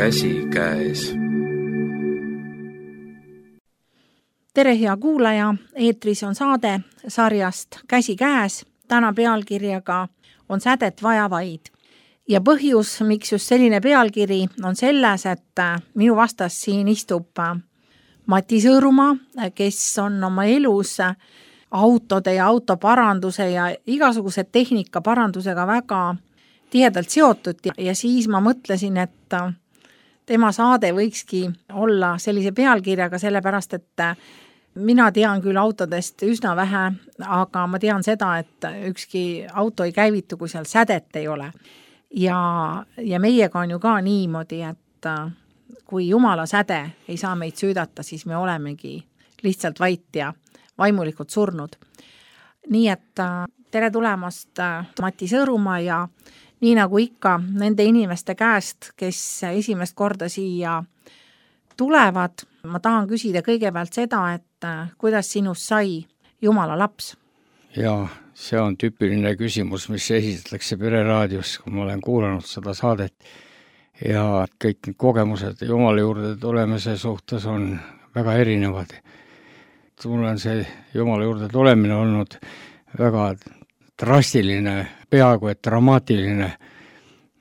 Käsi käes. Tere, hea kuulaja! Eetris on saade sarjast Käsi käes. Täna pealkirjaga on sädet vaja vaid. Ja põhjus, miks just selline pealkiri, on selles, et minu vastas siin istub Mati Sõõrumaa, kes on oma elus autode ja autoparanduse ja igasuguse tehnikaparandusega väga tihedalt seotud. Ja siis ma mõtlesin, et tema saade võikski olla sellise pealkirjaga, sellepärast, et mina tean küll autodest üsna vähe, aga ma tean seda, et ükski auto ei käivitu, kui seal sädet ei ole. Ja meiega on ju ka niimoodi, et kui Jumala säde ei saa meid süüdata, siis me olemegi lihtsalt vait ja vaimulikult surnud. Nii et tere tulemast Mati Sõõrumaa ja nii nagu ikka nende inimeste käest, kes esimest korda siia tulevad, ma tahan küsida kõigepealt seda, et kuidas sinust sai Jumala laps? Jaa, see on tüüpiline küsimus, mis esitatakse Pereraadios, kui ma olen kuulanud seda saadet. Ja kõik need kogemused Jumala juurde tulemise suhtes on väga erinevad. Mul on see Jumala juurde tulemine olnud väga drastiline, peaaegu et dramaatiline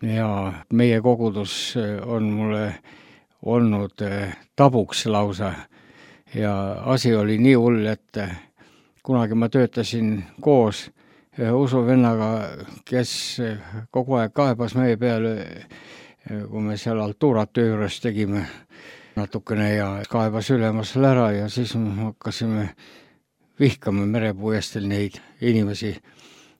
ja meie kogudus on mulle olnud tabuks lausa ja asi oli nii hull, et kunagi ma töötasin koos usuvennaga, kes kogu aeg kaebas meie peale, kui me seal altuurat töö juures tegime natukene ja kaebas ülemusel ära ja siis hakkasime vihkama merepuiestel neid inimesi.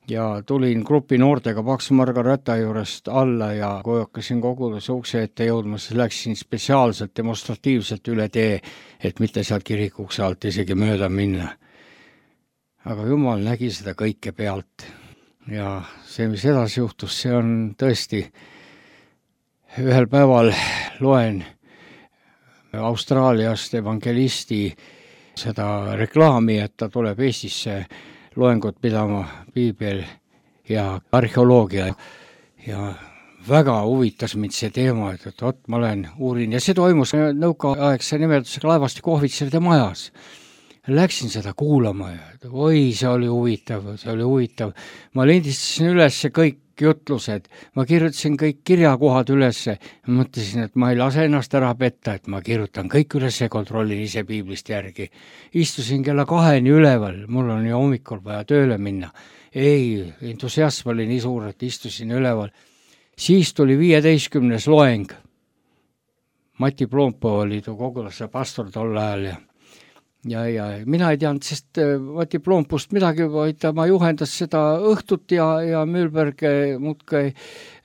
Ja tulin grupi noortega Paks Margareta juurest alla ja kui hakkasin koguduse ukse ette jõudma, siis läksin spetsiaalselt demonstratiivselt üle tee, et mitte sealt kirikukse alt isegi mööda minna. Aga Jumal nägi seda kõike pealt. Ja see, mis edasi juhtus, see on tõesti, ühel päeval loen Austraaliast evangelisti seda reklaami, et ta tuleb Eestisse loengut pidama piibel ja arheoloogia ja väga huvitas mind see teema, et ma uurin ja see toimus nõukaaegse nimetusega laevastiku ohvitseride majas. Läksin seda kuulama ja see oli huvitav. Ma lindistasin üles kõik jutlused, ma kirjutasin kõik kirjakohad ülesse ja mõtlesin, et ma ei lase ennast ära petta, et ma kirjutan kõik üles ja kontrollin ise piiblist järgi. Istusin kella 2 üleval, mul on ju hommikul vaja tööle minna. Ei, entusiasm oli nii suur, et istusin üleval. Siis tuli 15. loeng. Mati Ploompo oli koguduse pastor tol ajal ja mina ei teadnud, sest Mati Ploompust midagi, vaid ma juhendas seda õhtut ja Müülberg muudkui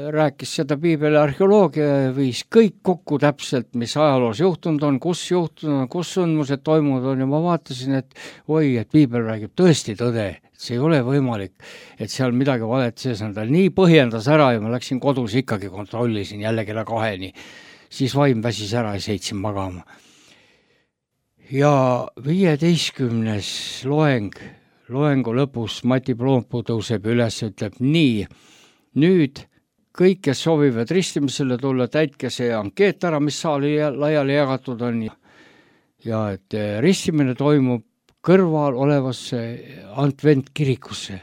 rääkis seda piibeli arheoloogia ja viis kõik kokku täpselt, mis ajaloos juhtunud on, kus sündmused toimunud on ja ma vaatasin, et et piibel räägib tõesti tõde, et see ei ole võimalik, et seal midagi valet sees on. Ta nii põhjendas ära ja ma läksin kodus ikkagi kontrollisin jälle kella 2, siis vaim väsis ära ja seitsin magama. Ja 15. loengu lõpus Mati Ploompu tõuseb üles ja ütleb nii, nüüd kõik, kes soovivad ristimisele tulla, täitke see ankeet ära, mis saali laiali jagatud on ja et ristimine toimub kõrval olevasse Advent kirikusse.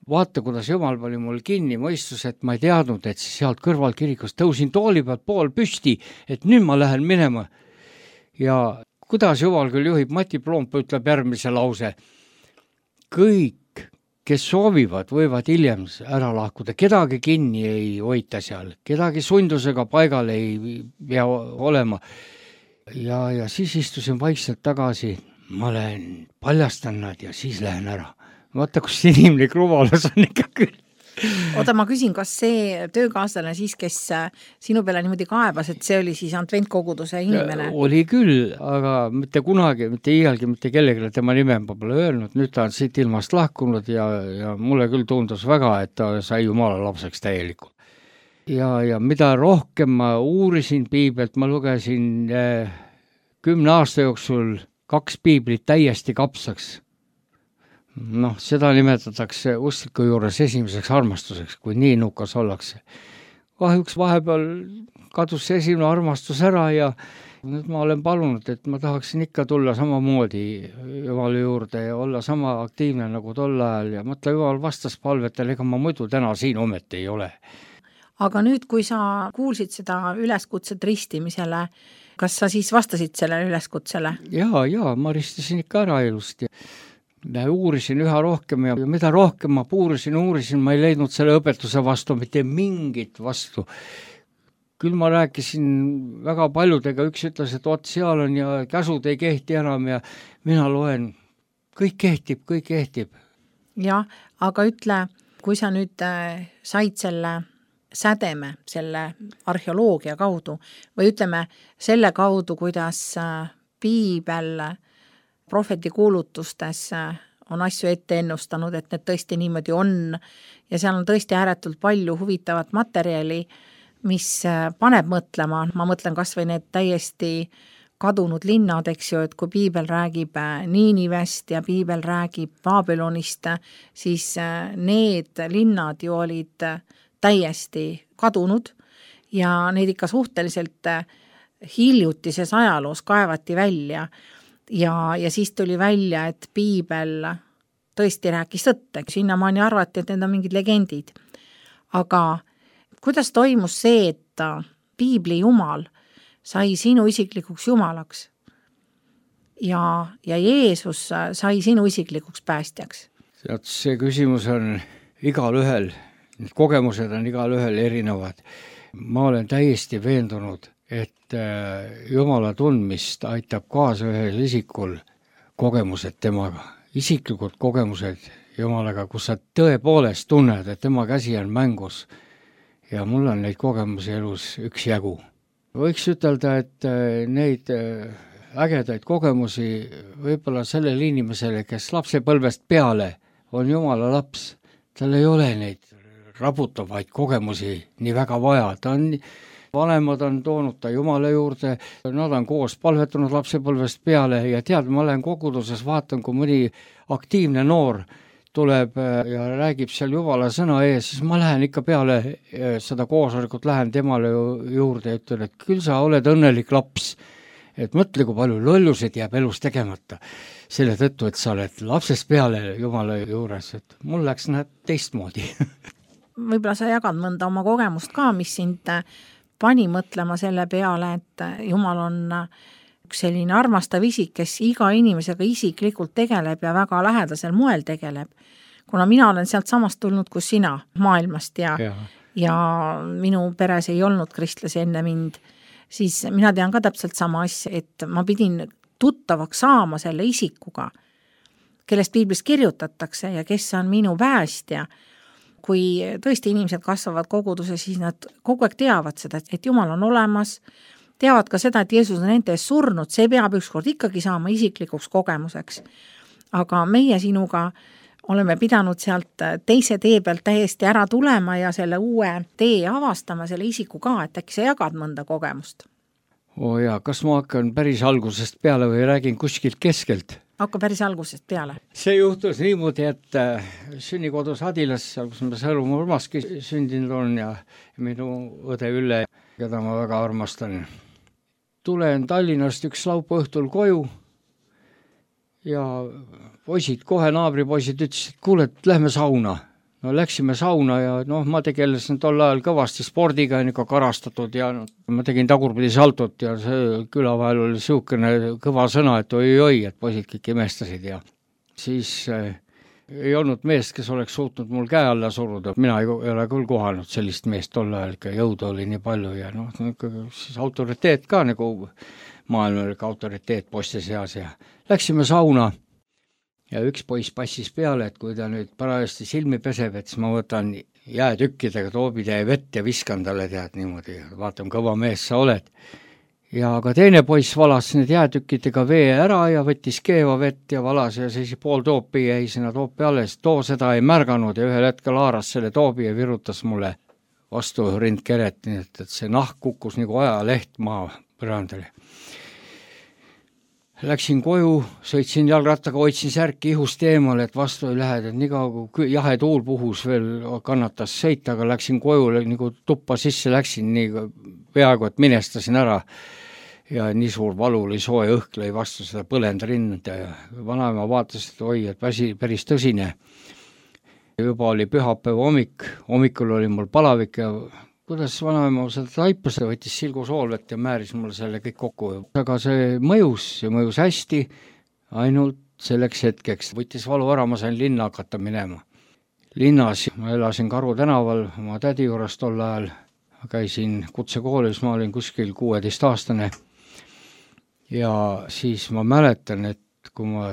Vaata, kuidas Jumal pani mul kinni mõistus, et ma ei teadnud, et sealt kõrval kirikus tõusin tooli pealt pool püsti, et nüüd ma lähen minema ja kuidas Jumal küll juhib, Mati Ploompo ütleb järgmise lause. Kõik, kes soovivad, võivad hiljem ära lahkuda. Kedagi kinni ei hoita seal, kedagi sundusega paigal ei pea olema. Ja siis istusin vaikselt tagasi, ma paljastan nad ja siis lähen ära. Vaata, kus inimlik rumalus on ikka küll. Oota, ma küsin, kas see töökaaslane siis, kes sinu peale niimoodi kaebas, et see oli siis Adventkoguduse inimene? Oli küll, aga mitte kunagi, mitte iialgi, mitte kellegile tema nime pole öelnud. Nüüd ta on siit ilmast lahkunud ja mulle küll tundus väga, et ta sai Jumala lapseks täielikult. Ja mida rohkem ma uurisin piibelt, ma lugesin 10 aasta jooksul 2 piiblit täiesti kapsaks. Seda nimetatakse uskliku juures esimeseks armastuseks, kui nii nukas ollakse. kahjuks vahepeal kadus see esimene armastus ära ja nüüd ma olen palunud, et ma tahaksin ikka tulla samamoodi Jumala juurde ja olla sama aktiivne nagu tol ajal ja mõtle, Jumal vastas palvetele, ega ma muidu täna siin ometi ei ole. Aga nüüd, kui sa kuulsid seda üleskutset ristimisele, kas sa siis vastasid sellele üleskutsele? Jaa, ma ristisin ikka ära ilusti. Uurisin üha rohkem ja mida rohkem ma uurisin, ma ei leidnud selle õpetuse vastu mitte mingit vastu. Küll ma rääkisin väga paljudega, üks ütles, et seal on ja käsud ei kehti enam ja mina loen, kõik kehtib. Jah, aga ütle, kui sa nüüd said selle sädeme, selle arheoloogia kaudu või ütleme selle kaudu, kuidas piibel prohveti kuulutustes on asju ette ennustanud, et need tõesti niimoodi on ja seal on tõesti ääretult palju huvitavat materjali, mis paneb mõtlema, ma mõtlen kas või need täiesti kadunud linnad, eks ju, et kui piibel räägib Niinivest ja piibel räägib Babylonist, siis need linnad ju olid täiesti kadunud ja neid ikka suhteliselt hiljutises ajaloos kaevati välja ja siis tuli välja, et piibel tõesti rääkis tõtte, sinnamaani arvati, et need on mingid legendid, aga kuidas toimus see, et piibli Jumal sai sinu isiklikuks Jumalaks ja Jeesus sai sinu isiklikuks päästjaks? See küsimus on igal ühel, need kogemused on igal ühel erinevad. Ma olen täiesti veendunud, et Jumala tundmist aitab kaasa ühel isikul kogemused temaga, isiklikud kogemused Jumalaga, kus sa tõepoolest tunned, et tema käsi on mängus. Ja mul on neid kogemusi elus üksjagu. Võiks ütelda, et neid ägedaid kogemusi võib-olla sellele inimesele, kes lapsepõlvest peale on Jumala laps, tal ei ole neid raputavaid kogemusi nii väga vaja. Vanemad on toonud ta Jumala juurde, nad on koos palvetanud lapsepõlvest peale ja tead, ma olen koguduses, vaatan, kui mõni aktiivne noor tuleb ja räägib seal Jumala sõna ees, siis ma lähen ikka peale seda koosolekut, lähen temale juurde ja ütlen, et küll sa oled õnnelik laps, et mõtle, kui palju lollused jääb elus tegemata. Selle tõttu, et sa oled lapsest peale Jumala juures, et mul läks teistmoodi. Võib-olla sa jagad mõnda oma kogemust ka, mis sind pani mõtlema selle peale, et Jumal on üks selline armastav isik, kes iga inimesega isiklikult tegeleb ja väga lähedasel moel tegeleb. Kuna mina olen sealt samast tulnud kui sina maailmast ja minu peres ei olnud kristlasi enne mind, siis mina tean ka täpselt sama asja, et ma pidin tuttavaks saama selle isikuga, kellest piiblis kirjutatakse ja kes on minu päästja. Kui tõesti inimesed kasvavad koguduse, siis nad kogu aeg teavad seda, et Jumal on olemas, teavad ka seda, et Jeesus on nende ees surnud, see peab ükskord ikkagi saama isiklikuks kogemuseks. Aga meie sinuga oleme pidanud sealt teise tee pealt täiesti ära tulema ja selle uue tee avastama selle isiku ka, et äkki sa jagad mõnda kogemust? Jaa, kas ma hakkan päris algusest peale või räägin kuskilt keskelt? Hakka päris algusest peale. See juhtus niimoodi, et sünnikodus Adilas, kus ma Sõõrumaa Urmaski sündinud on ja minu õde Ülle, keda ma väga armastan. Tulen Tallinnast üks laupäeva õhtul koju ja poisid, kohe naabripoisid ütlesid, et kuule, et lähme sauna. No läksime sauna ja ma tegelesin tol ajal kõvasti spordiga, ikka karastatud ja ma tegin tagurpidi saltot ja see küla vahel oli siukene kõva sõna, et oi, et poisid kõik imestasid ja siis ei olnud meest, kes oleks suutnud mul käe alla suruda. Mina ei ole küll kohanud sellist meest tol ajal, ikka jõudu oli nii palju ja siis autoriteet ka nagu maailmalik autoriteet poiste seas ja läksime sauna. Ja üks poiss passis peale, et kui ta nüüd parajasti silmi peseb, et siis ma võtan jäätükkidega toobitäie vett ja viskan talle tead niimoodi, vaatan, kõva mees sa oled. Ja ka teine poiss valas need jäätükkidega vee ära ja võttis keeva vett ja valas ja siis pool toopi jäi sinna toopi alles. Too seda ei märganud ja ühel hetkel haaras selle toobi ja virutas mulle vastu rindkeret, nii et see nahk kukkus nagu ajaleht maa põrandale. läksin koju, sõitsin jalgrattaga, hoidsin särki ihust eemale, et vastu ei lähe, et nii kaua kui jahe tuul puhus veel kannatas sõita, aga läksin koju, nagu tuppa sisse läksin, nii peaaegu, et minestasin ära. Ja nii suur valu oli, soe õhk lõi vastu seda põlenda rinda ja vanaema vaatas, et oi, et päris tõsine. Juba oli pühapäeva hommikul oli mul palavik ja kuidas vanaema seda taipas, võttis silgusoolvet ja määris mulle selle kõik kokku. Aga see mõjus hästi, ainult selleks hetkeks. Võttis valu ära, ma sain linna hakata minema. Linnas ma elasin Karu tänaval oma tädi juures tol ajal. Käisin kutsekoolis, ma olin kuskil 16-aastane. Ja siis ma mäletan, et kui ma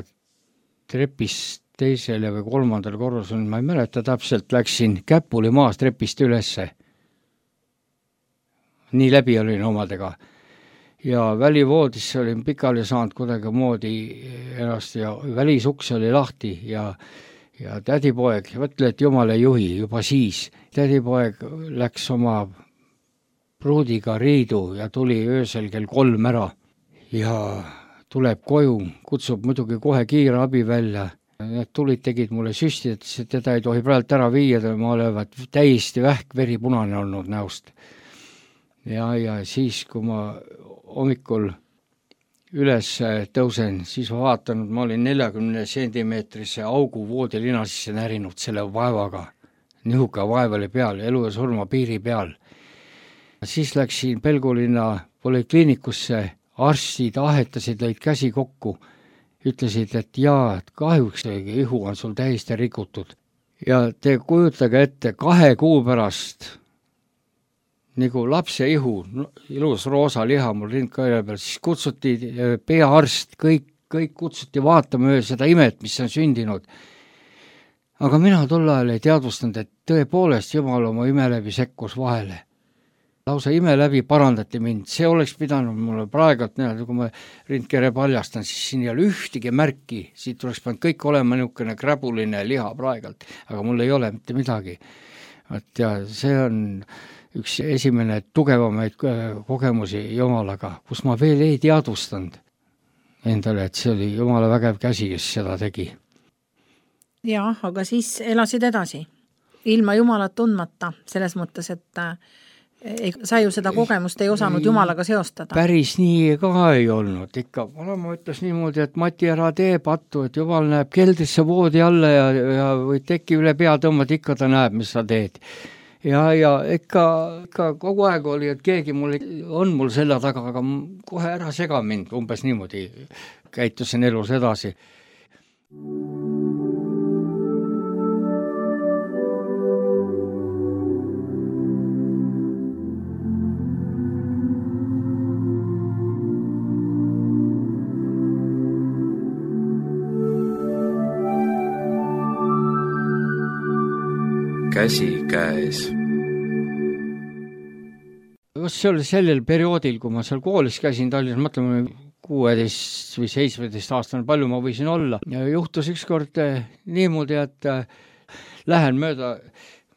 trepist teisele või kolmandal korrus on, ma ei mäleta täpselt, läksin käpuli maas trepist ülesse. Nii läbi olin omadega. Ja välivoodisse olin pikali saanud kuidagi moodi ennast ja välisuks oli lahti ja tädipoeg, võtle, et jumal ei juhi juba siis. Tädipoeg läks oma pruudiga riidu ja tuli öösel kell 3 ära ja tuleb koju, kutsub muidugi kohe kiire abi välja. Need tulid tegid mulle süsti, et teda ei tohi praegu ära viia, ma olevat täiesti vähk veripunane olnud näost. Ja siis, kui ma hommikul üles tõusen, siis ma vaatan, et ma olin 40 sentimeetrise augu voodilina sisse närinud selle vaevaga. Nihuka vaev oli peal, elu ja surma piiri peal. Siis läksin Pelgulinna polikliinikusse, arstid ahetasid, lõid käsi kokku, ütlesid, et jaa, et kahjuks ihu on sul täiesti rikutud. Ja te kujutage ette 2 kuu pärast nagu lapse ihu, ilus roosa liha mul rindkaire peal, siis kutsuti peaarst, kõik kutsuti vaatama seda imet, mis on sündinud. Aga mina tol ajal ei teadvustanud, et tõepoolest Jumal oma ime läbi sekkus vahele. Lausa ime läbi parandati mind, see oleks pidanud mulle praegult, kui ma rindkere paljastan, siis siin ei ole ühtegi märki, siit oleks pidanud kõik olema niisugune kräbuline liha praegult, aga mul ei ole mitte midagi. Ja see on üks esimene tugevamaid kogemusi Jumalaga, kus ma veel ei teadvustanud endale, et see oli Jumala vägev käsi, kes seda tegi. Jah, aga siis elasid edasi, ilma Jumalat tundmata, selles mõttes, et sa ju seda kogemust ei osanud Jumalaga seostada. Päris nii ka ei olnud. Ikka vanema ütles niimoodi, et Mati, ära tee pattu, et Jumal näeb keldrisse voodi alla ja või teki üle pea tõmmad, ikka ta näeb, mis sa teed. Ja ikka kogu aeg oli, et keegi on mul selle taga, aga kohe ära sega mind, umbes niimoodi käitusin elus edasi. Käsi käes. See oli sellel perioodil, kui ma seal koolis käisin Tallinnas, mõtleme 16 või 17 aastane, palju ma võisin olla. Ja juhtus ükskord niimoodi, et lähen mööda,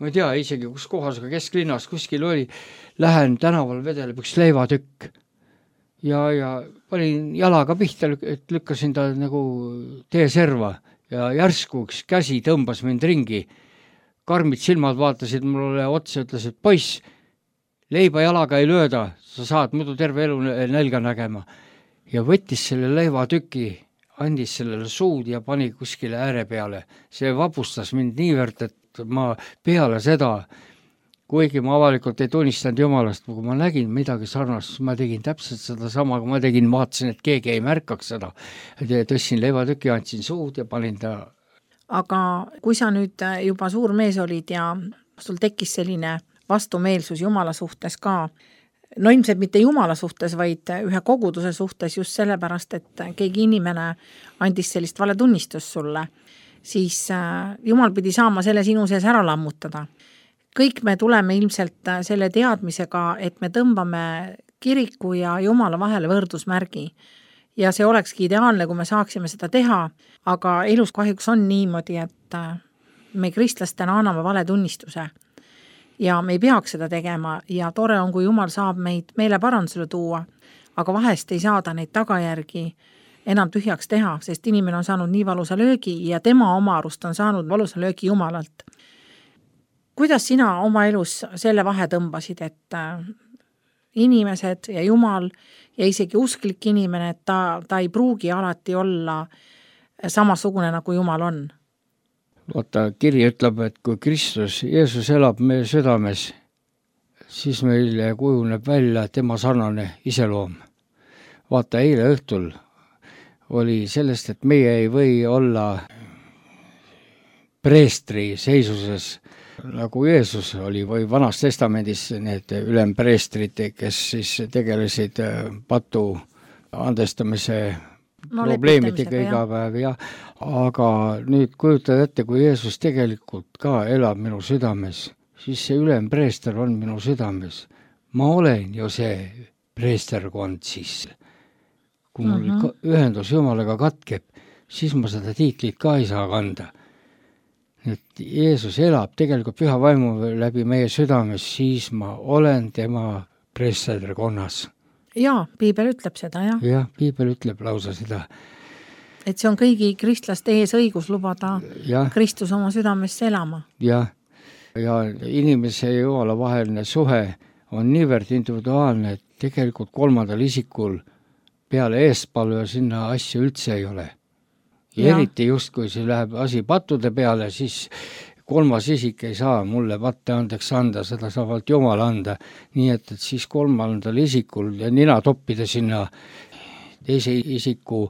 ma ei tea isegi kus kohas, aga kesklinnas kuskil oli, lähen tänaval vedeleb üks leivatükk. Ja panin jalaga pihta, et lükkasin ta nagu teeserva ja järsku üks käsi tõmbas mind ringi. Karmid silmad vaatasid mulle otsa ja ütlesid, poiss, leiba jalaga ei lööda, sa saad muidu terve elu nälga nägema. Ja võttis selle leivatüki, andis sellele suud ja pani kuskile ääre peale. See vapustas mind niivõrd, et ma peale seda, kuigi ma avalikult ei tunnistanud Jumalast, kui ma nägin midagi sarnast, ma tegin täpselt seda sama, kui ma vaatasin, et keegi ei märkaks seda. Tõssin leivatüki, andsin suud ja panin ta. Aga kui sa nüüd juba suur mees olid ja sul tekkis selline vastumeelsus Jumala suhtes ka, no ilmselt mitte Jumala suhtes, vaid ühe koguduse suhtes just sellepärast, et keegi inimene andis sellist valetunnistust sulle, siis Jumal pidi saama selle sinu sees ära lammutada. Kõik me tuleme ilmselt selle teadmisega, et me tõmbame kiriku ja Jumala vahele võrdusmärgi. Ja see olekski ideaalne, kui me saaksime seda teha, aga elus kahjuks on niimoodi, et me kristlastena anname vale tunnistuse ja me ei peaks seda tegema ja tore on, kui Jumal saab meid meele parandusele tuua, aga vahest ei saada neid tagajärgi enam tühjaks teha, sest inimene on saanud nii valusa löögi ja tema oma arust on saanud valusa löögi Jumalalt. Kuidas sina oma elus selle vahe tõmbasid, et inimesed ja Jumal ja isegi usklik inimene, et ta ei pruugi alati olla samasugune, nagu Jumal on? Vaata, kiri ütleb, et kui Kristus, Jeesus elab meie südames, siis meile kujuneb välja tema sarnane iseloom. Vaata, eile õhtul oli sellest, et meie ei või olla preestri seisuses, nagu Jeesus oli, või Vanas Testamendis need ülempreestrid, kes siis tegelesid patu andestamise probleemidega iga päev, jah. Aga nüüd kujutad ette, kui Jeesus tegelikult ka elab minu südames, siis see ülempreester on minu südames. Ma olen ju see preesterkond siis. Kui mul ühendus Jumalaga katkeb, siis ma seda tiitlit ka ei saa kanda. Et Jeesus elab tegelikult püha vaimu läbi meie südames, siis ma olen tema preesterkonnas. Jaa, piibel ütleb seda, jah. Jah, piibel ütleb lausa seda. Et see on kõigi kristlaste ees õigus lubada Kristus oma südamesse elama. Jah, ja inimese ja Jumala vaheline suhe on niivõrd individuaalne, et tegelikult kolmandal isikul peale eestpalve sinna asju üldse ei ole. Ja eriti just, kui see läheb asi pattude peale, siis kolmas isik ei saa mulle patte andeks anda, seda saab alt Jumal anda. Nii et siis kolmandal isikul ja nina toppida sinna teise isiku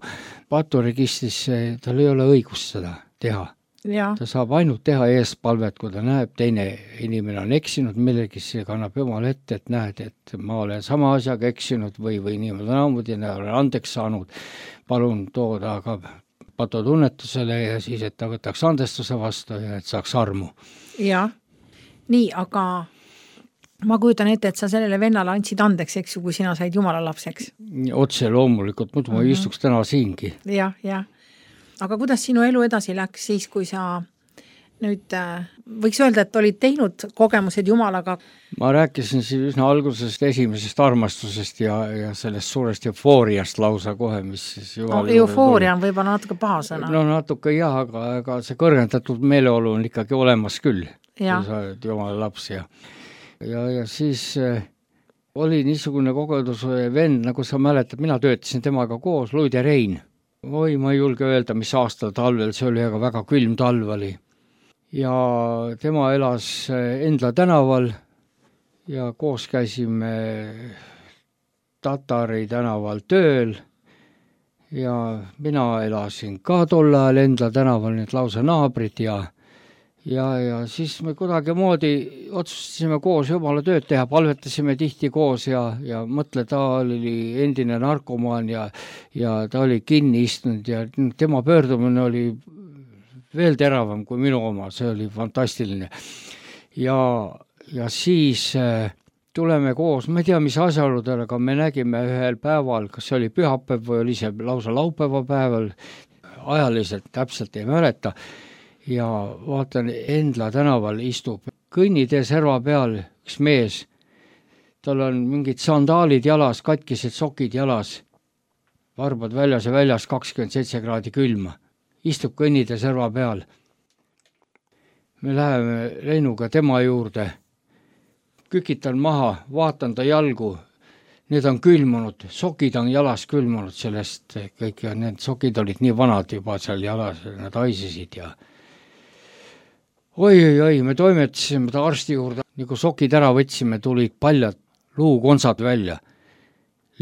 paturegistrisse, tal ei ole õigust seda teha. Ja. Ta saab ainult teha eespalvet, kui ta näeb, teine inimene on eksinud millegi, see kannab Jumal ette, et näed, et ma olen sama asjaga eksinud või niimoodi olen andeks saanud. Palun tooda aga patutunnetusele ja siis, et ta võtaks andestuse vastu ja et saaks armu. Ja, nii, aga ma kujutan ette, et sa sellele vennale andsid andeks, eks ju, kui sina said Jumala lapseks. Otse loomulikult, muidu ma istuks täna siingi. Ja. Aga kuidas sinu elu edasi läks siis, kui sa nüüd võiks öelda, et olid teinud kogemused Jumalaga? Ma rääkisin siis üsna algusest esimesest armastusest ja sellest suurest eufooriast lausa kohe, mis siis eufooria on võib-olla natuke paha sõna. No natuke jah, aga see kõrgendatud meeleolu on ikkagi olemas küll, kui sa oled Jumala laps ja siis oli niisugune kogeduse vend, nagu sa mäletad, mina töötasin temaga koos, Luid ja Rein. Ma ei julge öelda, mis aastal talvel, see oli aga väga külm talv oli. Ja tema elas Endla tänaval ja koos käisime Tatari tänaval tööl ja mina elasin ka tol ajal Endla tänaval, need lausa naabrid ja siis me kuidagi moodi otsustasime koos Jumala tööd teha, palvetasime tihti koos ja mõtle, ta oli endine narkomaan ja ta oli kinni istunud ja tema pöördumine oli veel teravam kui minu oma, see oli fantastiline. Ja siis tuleme koos, ma ei tea, mis asjaoludel, aga me nägime ühel päeval, kas see oli pühapäev või oli see lausa laupäeva päeval, ajaliselt täpselt ei mäleta, ja vaatan, Endla tänaval istub kõnnitee serva peal üks mees, tal on mingid sandaalid jalas, katkised sokid jalas, varbad väljas ja väljas 27 kraadi külma. Istub kõnnitee serva peal. Me läheme Reinuga tema juurde, kükitan maha, vaatan ta jalgu, need on külmunud, sokid on jalas külmunud sellest kõik ja need sokid olid nii vanad juba seal jalas, nad haisisid ja oi, me toimetasime ta arsti juurde, nagu sokid ära võtsime, tulid paljad luukonsad välja.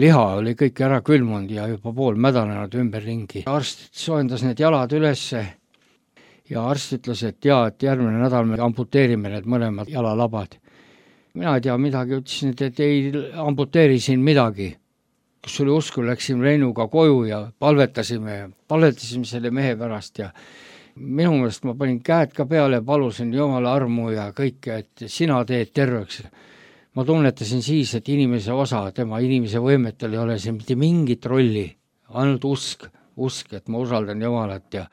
Liha oli kõik ära külmunud ja juba pool mädanenud ümber ringi. Arst soojendas need jalad ülesse ja arst ütles, et et järgmine nädal me amputeerime need mõlemad jalalabad. Mina ei tea midagi, ütlesin, et ei amputeeri siin midagi. Kus oli usku, läksime Reinuga koju ja palvetasime selle mehe pärast ja minu meelest ma panin käed ka peale ja palusin Jumala armu ja kõike, et sina teed terveks. Ma tunnetasin siis, et inimese osa, tema inimese võimetel ei ole see mitte mingit rolli, ainult usk, et ma usaldan Jumalat ja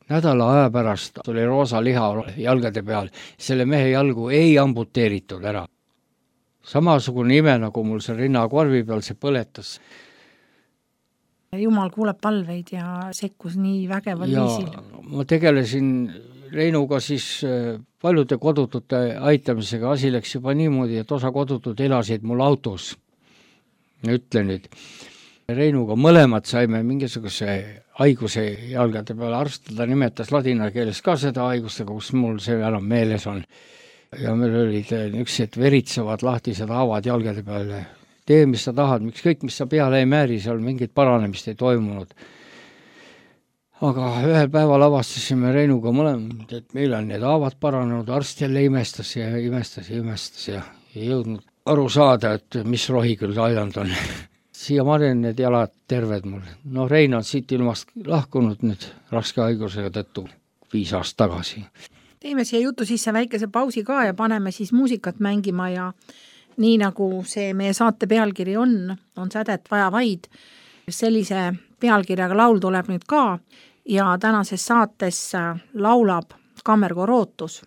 nädala aja pärast oli roosa liha jalgade peal, selle mehe jalgu ei amputeeritud ära. Samasugune ime, nagu mul see rinnakorvi peal see põletas. Jumal kuuleb palveid ja sekkus nii vägeval viisil. Ma tegelesin Reinuga siis paljude kodutute aitamisega. Asi läks juba niimoodi, et osa kodutud elasid mul autos. Ütlen nüüd, Reinuga mõlemad saime mingisuguse haiguse jalgade peale. Arst ta nimetas ladina keeles ka seda haigustega, kus mul see enam meeles on. Ja meil olid niisugused veritsevad lahtised haavad jalgade peale. Tee, mis sa tahad, miks kõik, mis sa peale ei määri, seal mingit paranemist ei toimunud. Aga ühel päeval avastasime Reinuga mõlemad, et meil on need haavad paranenud, arst jälle imestas ja ei jõudnud aru saada, et mis rohi küll aidanud on. Siia marjan need jalad terved mul. No Rein on siit ilmast lahkunud nüüd raske haigusega tõttu 5 aastat tagasi. Teeme siia jutu sisse väikese pausi ka ja paneme siis muusikat mängima ja nii nagu see meie saate pealkiri on sädet vaja vaid. Sellise pealkirjaga laul tuleb nüüd ka ja tänases saates laulab kammerkoor Ootus.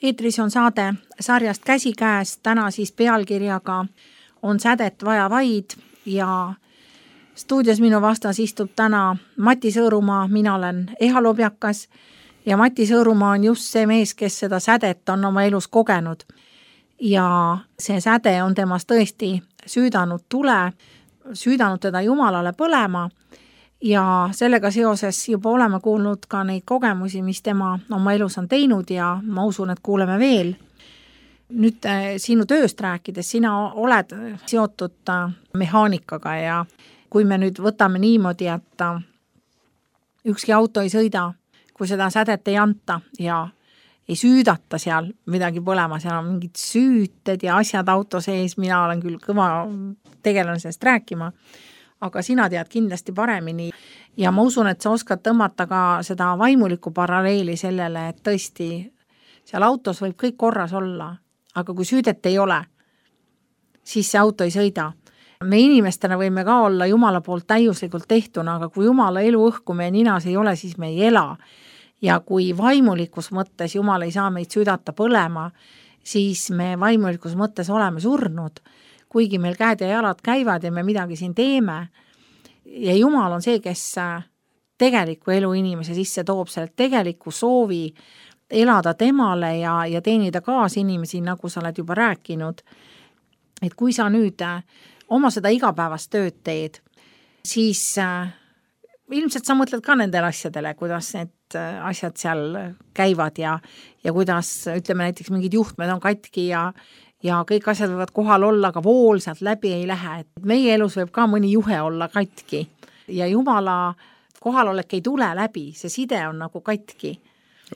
Eetris on saade sarjast Käsikäes, täna siis pealkirjaga on sädet vaja vaid ja stuudios minu vastas istub täna Mati Sõõrumaa, mina olen Eha Lobjakas ja Mati Sõõrumaa on just see mees, kes seda sädet on oma elus kogenud. Ja see säde on temas tõesti süüdanud tule, süüdanud teda Jumalale põlema ja sellega seoses juba oleme kuulnud ka neid kogemusi, mis tema oma elus on teinud ja ma usun, et kuuleme veel. Nüüd sinu tööst rääkides, sina oled seotud mehaanikaga ja kui me nüüd võtame niimoodi, et ükski auto ei sõida, kui seda sädet ei anta ja ei süüdata seal midagi põlema, seal on mingid süüted ja asjad auto sees, mina olen küll kõva tegelen sellest rääkima, aga sina tead kindlasti paremini ja ma usun, et sa oskad tõmmata ka seda vaimulikku paralleeli sellele, et tõesti seal autos võib kõik korras olla, aga kui süüdet ei ole, siis see auto ei sõida. Me inimestena võime ka olla Jumala poolt täiuslikult tehtuna, aga kui Jumala eluõhku meie ninas ei ole, siis me ei ela. Ja kui vaimulikus mõttes Jumal ei saa meid süüdata põlema, siis me vaimulikus mõttes oleme surnud, kuigi meil käed ja jalad käivad ja me midagi siin teeme. Ja Jumal on see, kes tegeliku elu inimese sisse toob selle tegeliku soovi elada temale ja teenida kaas inimesi, nagu sa oled juba rääkinud. et kui sa nüüd oma seda igapäevast tööd teed, siis ilmselt sa mõtled ka nendele asjadele, kuidas need asjad seal käivad ja kuidas, ütleme näiteks mingid juhtmed on katki ja kõik asjad võivad kohal olla, aga vool sealt läbi ei lähe. Et meie elus võib ka mõni juhe olla katki ja Jumala kohalolek ei tule läbi, see side on nagu katki.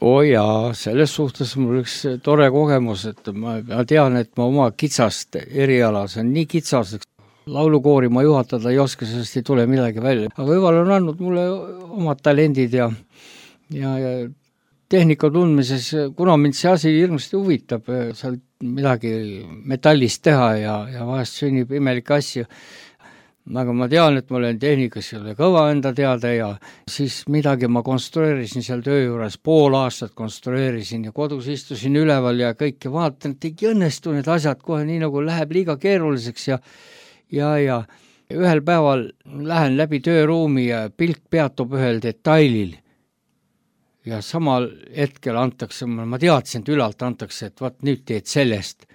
Jaa, selles suhtes mul üks tore kogemus, et ma tean, et ma oma kitsast eriala, see on nii kitsas, laulukoori ma juhatada ei oska, sellest ei tule midagi välja. Aga Jumal on andnud mulle omad talendid ja tehnika tundmises, kuna mind see asi hirmasti huvitab, seal midagi metallist teha ja vahest sünnib imelikke asju. Aga ma tean, et ma olen tehnikas kõva enda teada ja siis midagi ma konstrueerisin seal töö juures, pool aastat konstrueerisin ja kodus istusin üleval ja kõik ja vaatan, et ei õnnestu need asjad kohe nii nagu läheb liiga keeruliseks ja ühel päeval lähen läbi tööruumi ja pilk peatub ühel detailil ja samal hetkel antakse, ma teadsin, et ülalt antakse, et vaat nüüd teed sellest.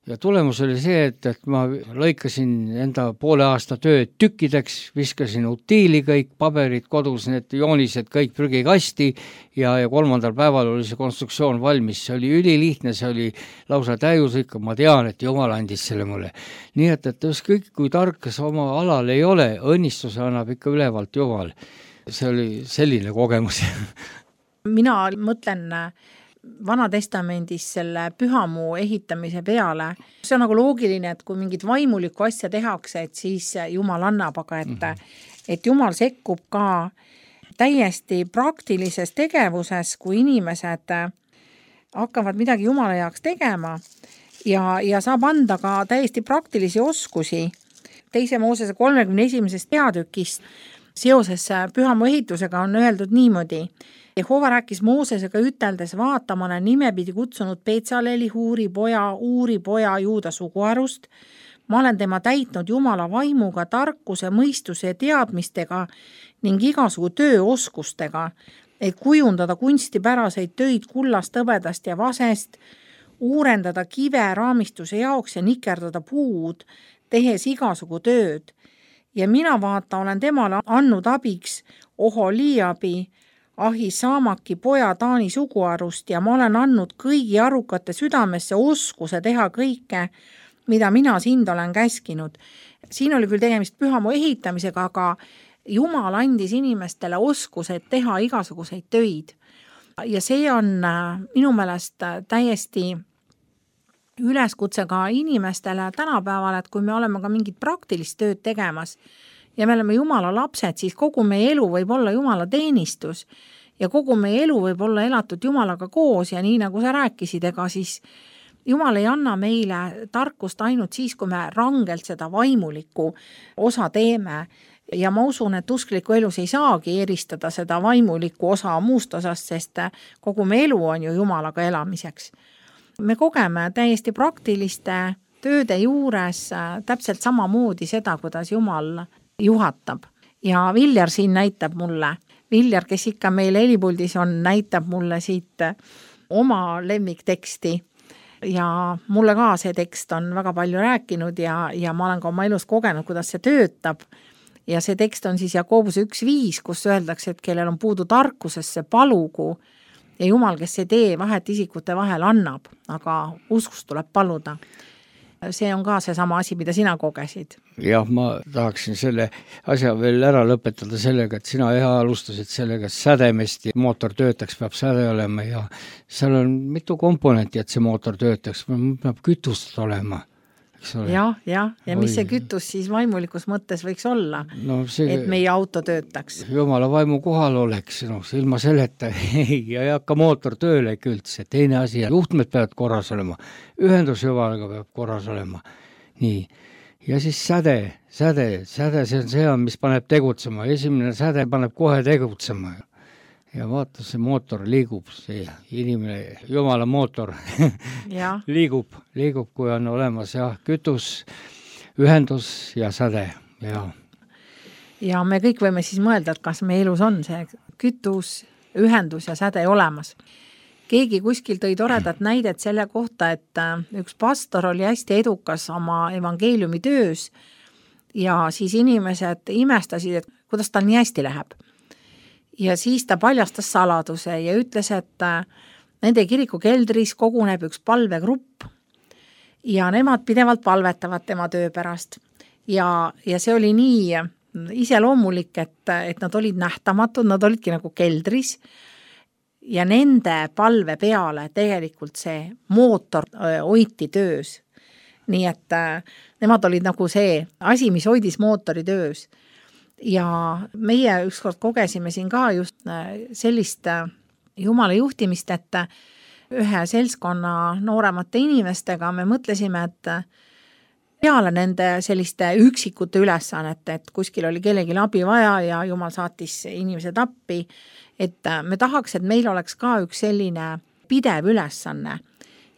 Ja tulemus oli see, et ma lõikasin enda poole aasta tööd tükkideks, viskasin utiili kõik, paberid kodus, need joonised kõik prügikasti ja 3. päeval oli see konstruktsioon valmis. See oli ülilihtne, see oli lausa täiuslik, ma tean, et Jumal andis selle mulle. Nii et kõik, kui tark sa oma alal ei ole, õnnistuse annab ikka ülevalt Jumal. See oli selline kogemus. Mina mõtlen Vanatestamendis selle pühamuu ehitamise peale. See on nagu loogiline, et kui mingit vaimulikku asja tehakse, et siis Jumal annab, aga et Jumal sekkub ka täiesti praktilises tegevuses, kui inimesed hakkavad midagi Jumala jaoks tegema ja saab anda ka täiesti praktilisi oskusi. 2. Moosese 31. peatükist seoses pühamuu ehitusega on öeldud niimoodi. Jehova rääkis Moosesega üteldes, vaata, ma olen nimepidi kutsunud Petsaleli, Uuri poja Juuda suguharust. Ma olen tema täitnud Jumala vaimuga, tarkuse, mõistuse ja teadmistega ning igasugu tööoskustega, et kujundada kunstipäraseid töid kullast, hõbedast ja vasest, uurendada kive raamistuse jaoks ja nikerdada puud, tehes igasugu tööd. Ja mina vaata, olen temale andnud abiks Oholiabi, Ahisaamaki poja Taani suguharust ja ma olen andnud kõigi arukate südamesse oskuse teha kõike, mida mina sind olen käskinud. Siin oli küll tegemist pühamuu ehitamisega, aga Jumal andis inimestele oskused teha igasuguseid töid. Ja see on minu meelest täiesti üleskutse ka inimestele tänapäeval, et kui me oleme ka mingit praktilist tööd tegemas, ja me oleme Jumala lapsed, siis kogu meie elu võib olla Jumala teenistus ja kogu meie elu võib olla elatud Jumalaga koos ja nii nagu sa rääkisid, ega siis Jumal ei anna meile tarkust ainult siis, kui me rangelt seda vaimulikku osa teeme ja ma usun, et uskliku elus ei saagi eristada seda vaimulikku osa muust osast, sest kogu meie elu on ju Jumalaga elamiseks. Me kogeme täiesti praktiliste tööde juures täpselt samamoodi seda, kuidas Jumal juhatab. Ja Viljar siin näitab mulle, Viljar, kes ikka meil helipuldis on, näitab mulle siit oma lemmikteksti ja mulle ka see tekst on väga palju rääkinud ja ma olen ka oma elus kogenud, kuidas see töötab. Ja see tekst on siis Jakobuse 1.5, kus öeldakse, et kellel on puudu tarkusesse, palugu ja Jumal, kes ei tee vahet isikute vahel, annab, aga uskust tuleb paluda. See on ka see sama asi, mida sina kogesid. Jah, ma tahaksin selle asja veel ära lõpetada sellega, et sina alustasid sellega, et sädemesti mootor töötaks, peab säde olema ja seal on mitu komponenti, et see mootor töötaks, peab kütust olema. Ja mis see kütus siis vaimulikus mõttes võiks olla, et meie auto töötaks? Jumala vaimu kohal oleks, ilma selleta ei hakka mootor tööle üldse. Teine asi, juhtmed peavad korras olema, ühendus Jumalaga peab korras olema. Nii. Ja siis säde, see on see, mis paneb tegutsema. Esimene säde paneb kohe tegutsema. Ja vaata, see mootor liigub, see inimene, Jumala mootor liigub, kui on olemas kütus, ühendus ja säde. Ja me kõik võime siis mõelda, et kas meie elus on see kütus, ühendus ja säde olemas. keegi kuskil tõi toredat näidet selle kohta, et üks pastor oli hästi edukas oma evangeeliumi töös ja siis inimesed imestasid, et kuidas tal nii hästi läheb. Ja siis ta paljastas saladuse ja ütles, et nende kiriku keldris koguneb üks palvegrupp ja nemad pidevalt palvetavad tema töö pärast. Ja see oli nii iseloomulik, et nad olid nähtamatud, nad olidki nagu keldris ja nende palve peale tegelikult see mootor hoiti töös. Nii et nemad olid nagu see asi, mis hoidis mootori töös. Ja meie ükskord kogesime siin ka just sellist Jumala juhtimist, et ühe seltskonna nooremate inimestega me mõtlesime, et peale nende selliste üksikute ülesannete, et kuskil oli kellelgi abi vaja ja Jumal saatis inimesed appi, et me tahaks, et meil oleks ka üks selline pidev ülesanne.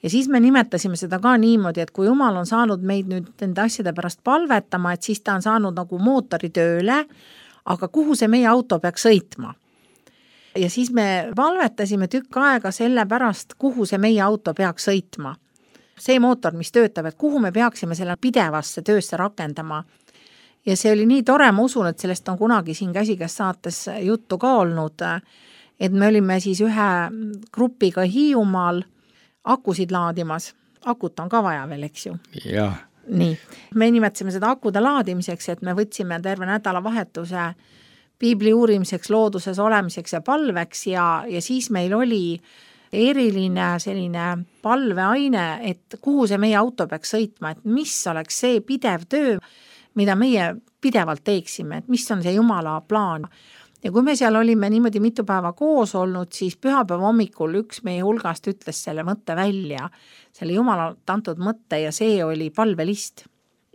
Ja siis me nimetasime seda ka niimoodi, et kui Jumal on saanud meid nüüd nende asjade pärast palvetama, et siis ta on saanud nagu mootori tööle, aga kuhu see meie auto peaks sõitma? Ja siis me palvetasime tükk aega selle pärast, kuhu see meie auto peaks sõitma. See mootor, mis töötab, et kuhu me peaksime selle pidevasse töösse rakendama. Ja see oli nii tore, ma usun, et sellest on kunagi siin Käsikäes saates juttu ka olnud, et me olime siis ühe grupiga Hiiumaal akusid laadimas. Akut on ka vaja veel, eks ju? Jah. Nii. Me nimetasime seda akude laadimiseks, et me võtsime terve nädalavahetuse piibli uurimiseks, looduses olemiseks ja palveks ja siis meil oli eriline selline palveaine, et kuhu see meie auto peaks sõitma, et mis oleks see pidev töö, mida meie pidevalt teeksime, et mis on see Jumala plaan. Ja kui me seal olime niimoodi mitu päeva koos olnud, siis pühapäeva hommikul üks meie hulgast ütles selle mõtte välja, selle Jumala antud mõtte ja see oli palvelist.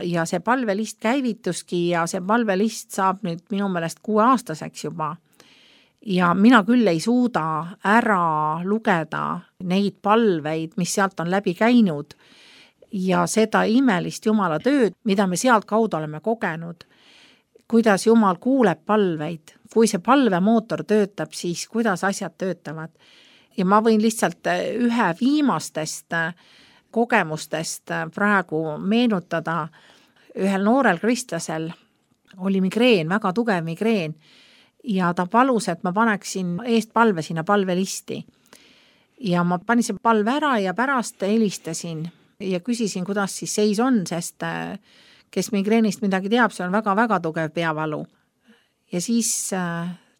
Ja see palvelist käivituski ja see palvelist saab nüüd minu meelest 6-aastaseks juba. Ja mina küll ei suuda ära lugeda neid palveid, mis sealt on läbi käinud ja seda imelist Jumala tööd, mida me sealt kaudu oleme kogenud, kuidas Jumal kuuleb palveid, kui see palvemootor töötab, siis kuidas asjad töötavad. Ja ma võin lihtsalt ühe viimastest kogemustest praegu meenutada, ühel noorel kristlasel oli migreen, väga tugev migreen ja ta palus, et ma paneksin eest palve sinna palvelisti. Ja ma panin see palve ära ja pärast helistasin ja küsisin, kuidas siis seis on, sest kes migreenist midagi teab, see on väga-väga tugev peavalu. Ja siis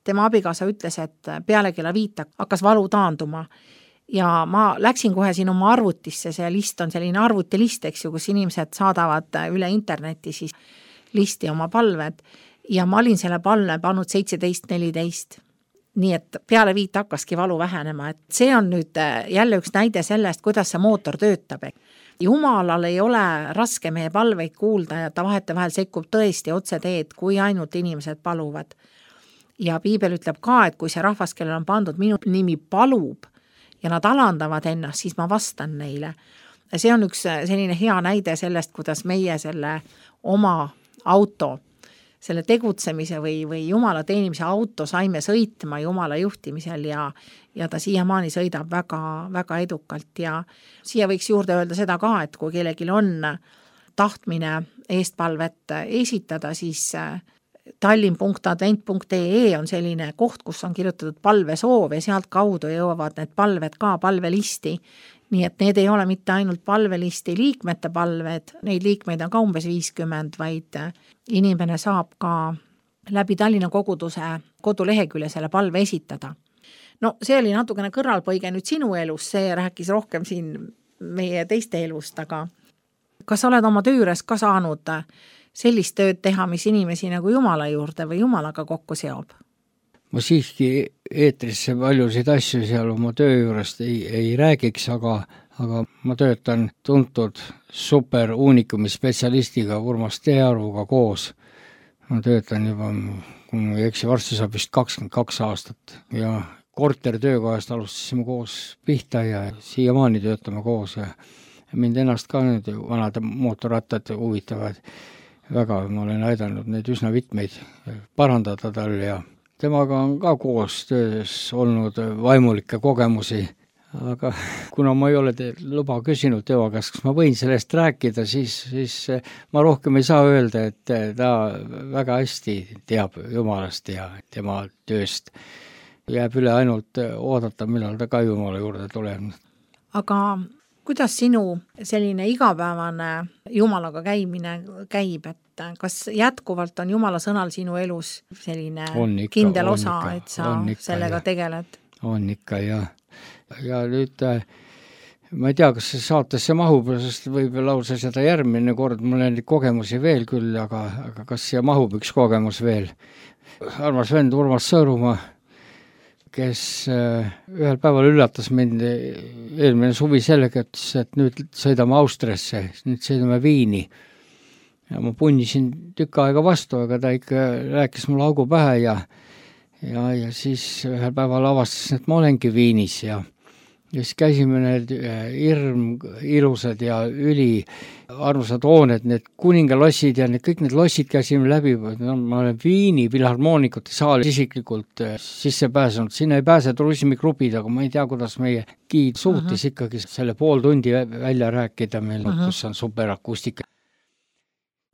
tema abikaasa ütles, et peale kella 5 hakkas valu taanduma. Ja ma läksin kohe siin oma arvutisse, see list on selline arvutilist, eks ju, kus inimesed saadavad üle interneti siis listi oma palved. Ja ma olin selle palve pannud 17.14. Nii et peale 5 hakkaski valu vähenema. Et see on nüüd jälle üks näide sellest, kuidas see mootor töötab. Jumalal ei ole raske meie palveid kuulda ja ta vahetevahel sekkub tõesti otse teed, kui ainult inimesed paluvad. Ja piibel ütleb ka, et kui see rahvas, kellel on pandud minu nimi palub ja nad alandavad ennast, siis ma vastan neile. Ja see on üks selline hea näide sellest, kuidas meie selle oma auto, selle tegutsemise või Jumala teenimise auto saime sõitma Jumala juhtimisel ja ta siiamaani sõidab väga, väga edukalt ja siia võiks juurde öelda seda ka, et kui kellelgi on tahtmine eestpalvet esitada, siis tallinn.advent.ee on selline koht, kus on kirjutatud palvesoov ja sealt kaudu jõuavad need palved ka palvelisti. Nii et need ei ole mitte ainult palvelisti liikmete palved, neid liikmeid on ka umbes 50, vaid inimene saab ka läbi Tallinna koguduse kodulehekülje selle palve esitada. No see oli natukene kõrvalpõige nüüd sinu elus, see rääkis rohkem siin meie teiste elust, aga kas oled oma töö juures ka saanud sellist tööd teha, mis inimesi nagu Jumala juurde või Jumalaga kokku seob? Ma siiski eetrisse paljusid asju seal oma töö juurest ei räägiks, aga ma töötan tuntud super uunikumi spetsialistiga Urmas Teearvuga koos. Ma töötan juba, kui ma ei eksi, varsti saab vist 22 aastat ja kortertöökohast alustasime koos pihta ja siiamaani töötame koos ja mind ennast ka nüüd vanad mootorrattad huvitavad väga. Ma olen aidanud neid üsna mitmeid parandada tal ja temaga on ka koos töös olnud vaimulikke kogemusi, aga kuna ma ei ole luba küsinud tema käest, kas ma võin sellest rääkida, siis ma rohkem ei saa öelda, et ta väga hästi teab Jumalast ja tema tööst. Jääb üle ainult oodata, millal ta ka Jumala juurde tuleb. Aga kuidas sinu selline igapäevane Jumalaga käimine käib, et kas jätkuvalt on Jumala sõnal sinu elus selline kindel osa, et sa sellega tegeled? On ikka, ja nüüd ma ei tea, kas see saatesse mahub, sest võib lausa seda järgmine kord, mul on kogemusi veel küll, aga kas siia mahub üks kogemus veel? Armas vend Urmas Sõõrumaa, kes ühel päeval üllatas mind eelmine suvi sellega, et nüüd sõidame Austriasse, nüüd sõidame Viini. Ja ma punnisin tükk aega vastu, aga ta ikka rääkis mulle augu pähe ja siis ühel päeval avastasin, et ma olengi Viinis ja siis käisime need ilusad ja armsad hooned, need kuningalossid ja kõik need lossid käisime läbi. Ma olen Viini filharmoonikute saali isiklikult sisse pääsenud. Sinna ei pääse turismigrupid, aga ma ei tea, kuidas meie giid suutis ikkagi selle pool tundi välja rääkida meil, kus on superakustika.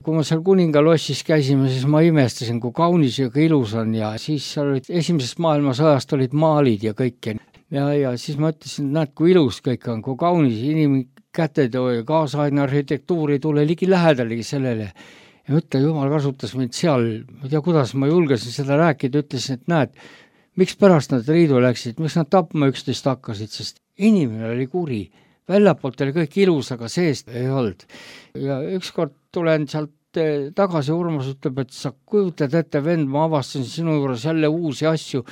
Kui ma seal kuningalossis käisime, siis ma imestasin, kui kaunis ja kui ilus on ja siis esimesest maailmasõjast olid maalid ja kõik. Ja siis ma ütlesin, et näed, kui ilus kõik on, kui kaunis inimkäted ja kaasaegne arhitektuur ei tule ligi lähedalegi sellele. Ja mõtle, Jumal kasutas mind seal, ma ei tea, kuidas ma julgesin seda rääkida, ütlesin, et näed, miks pärast nad riidu läksid, miks nad tapma üksteist hakkasid, sest inimene oli kuri. Väljapoolt oli kõik ilus, aga seest ei olnud. Ja ükskord tulen sealt tagasi, Urmas ütleb, et sa kujutad ette, vend, ma avastasin sinu juures jälle uusi asju,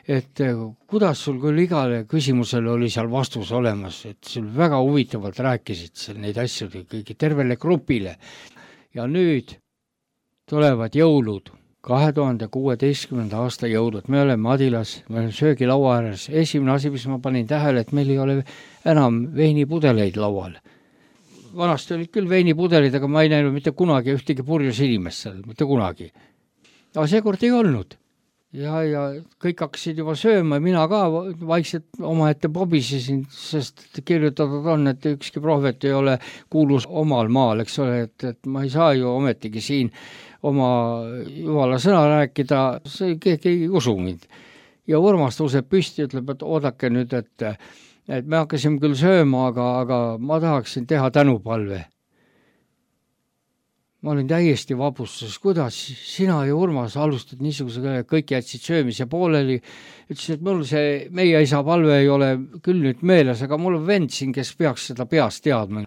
et kuidas sul küll igale küsimusele oli seal vastus olemas, et sul väga huvitavalt rääkisid seal neid asju kõigi tervele grupile. Ja nüüd tulevad jõulud, 2016. aasta jõulud. Me oleme Adilas, me oleme söögilaua ääres. Esimene asi, mis ma panin tähele, et meil ei ole enam veinipudeleid laual. Vanasti olid küll veinipudelid, aga ma ei näinud mitte kunagi ühtegi purjus inimest seal, mitte kunagi. Aga seekord ei olnud. Ja kõik hakkasid juba sööma, mina ka vaikselt omaette pobisesin, sest kirjutatud on, et ükski prohvet ei ole kuulus omal maal, eks ole, et ma ei saa ju ometigi siin oma Jumala sõna rääkida, see keegi ei usu mind. Ja Urmas tõuseb püsti, ütleb, et oodake nüüd, et me hakkasime küll sööma, aga ma tahaksin teha tänupalve. Ma olin täiesti vabustuses, kuidas sina ja Urmas alustad niisuguse, kõik jätsid söömise pooleli. Ütlesin, et mul see meie isa palve ei ole küll nüüd meeles, aga mul on vend siin, kes peaks seda peast teadma.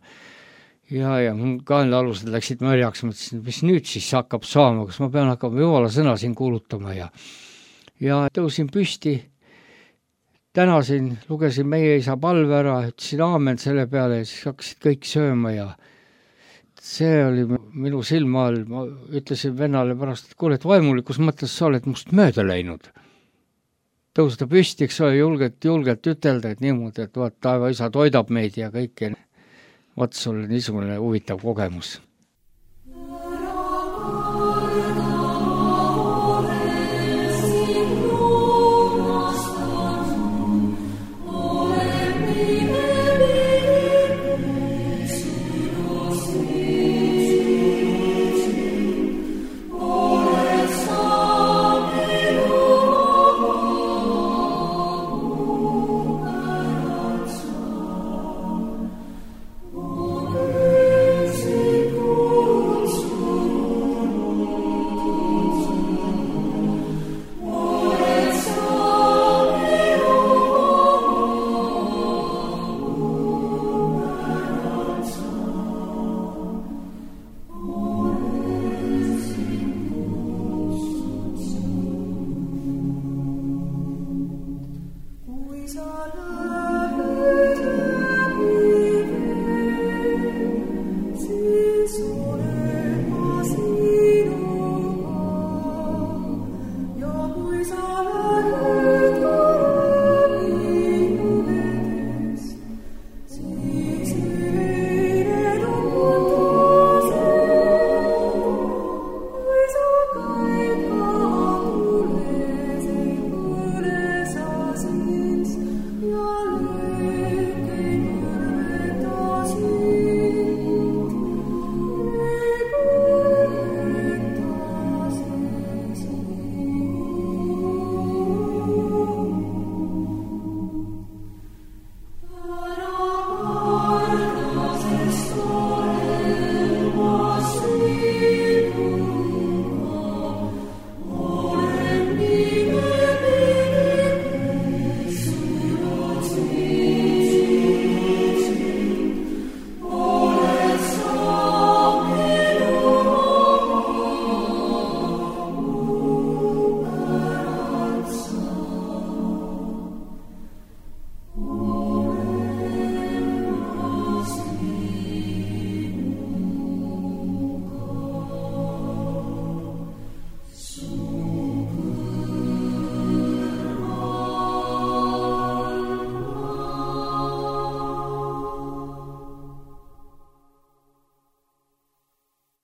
Ja mul kaenlaalused läksid märjaks, mõtlesin, mis nüüd siis hakkab saama, kas ma pean hakkama Jumala sõna siin kuulutama. Ja tõusin püsti, tänasin, lugesin meie isa palve ära, ütlesin aamen selle peale ja siis hakkasid kõik sööma ja see oli minu silma all, ma ütlesin vennale pärast, et kuule, et vaimulikus mõttes sa oled must mööda läinud. Tõusta püsti, eks ole, julgelt ütelda, et niimoodi, et vaat taeva isa toidab meid ja kõike. Vaat sul niisugune huvitav kogemus. Oh,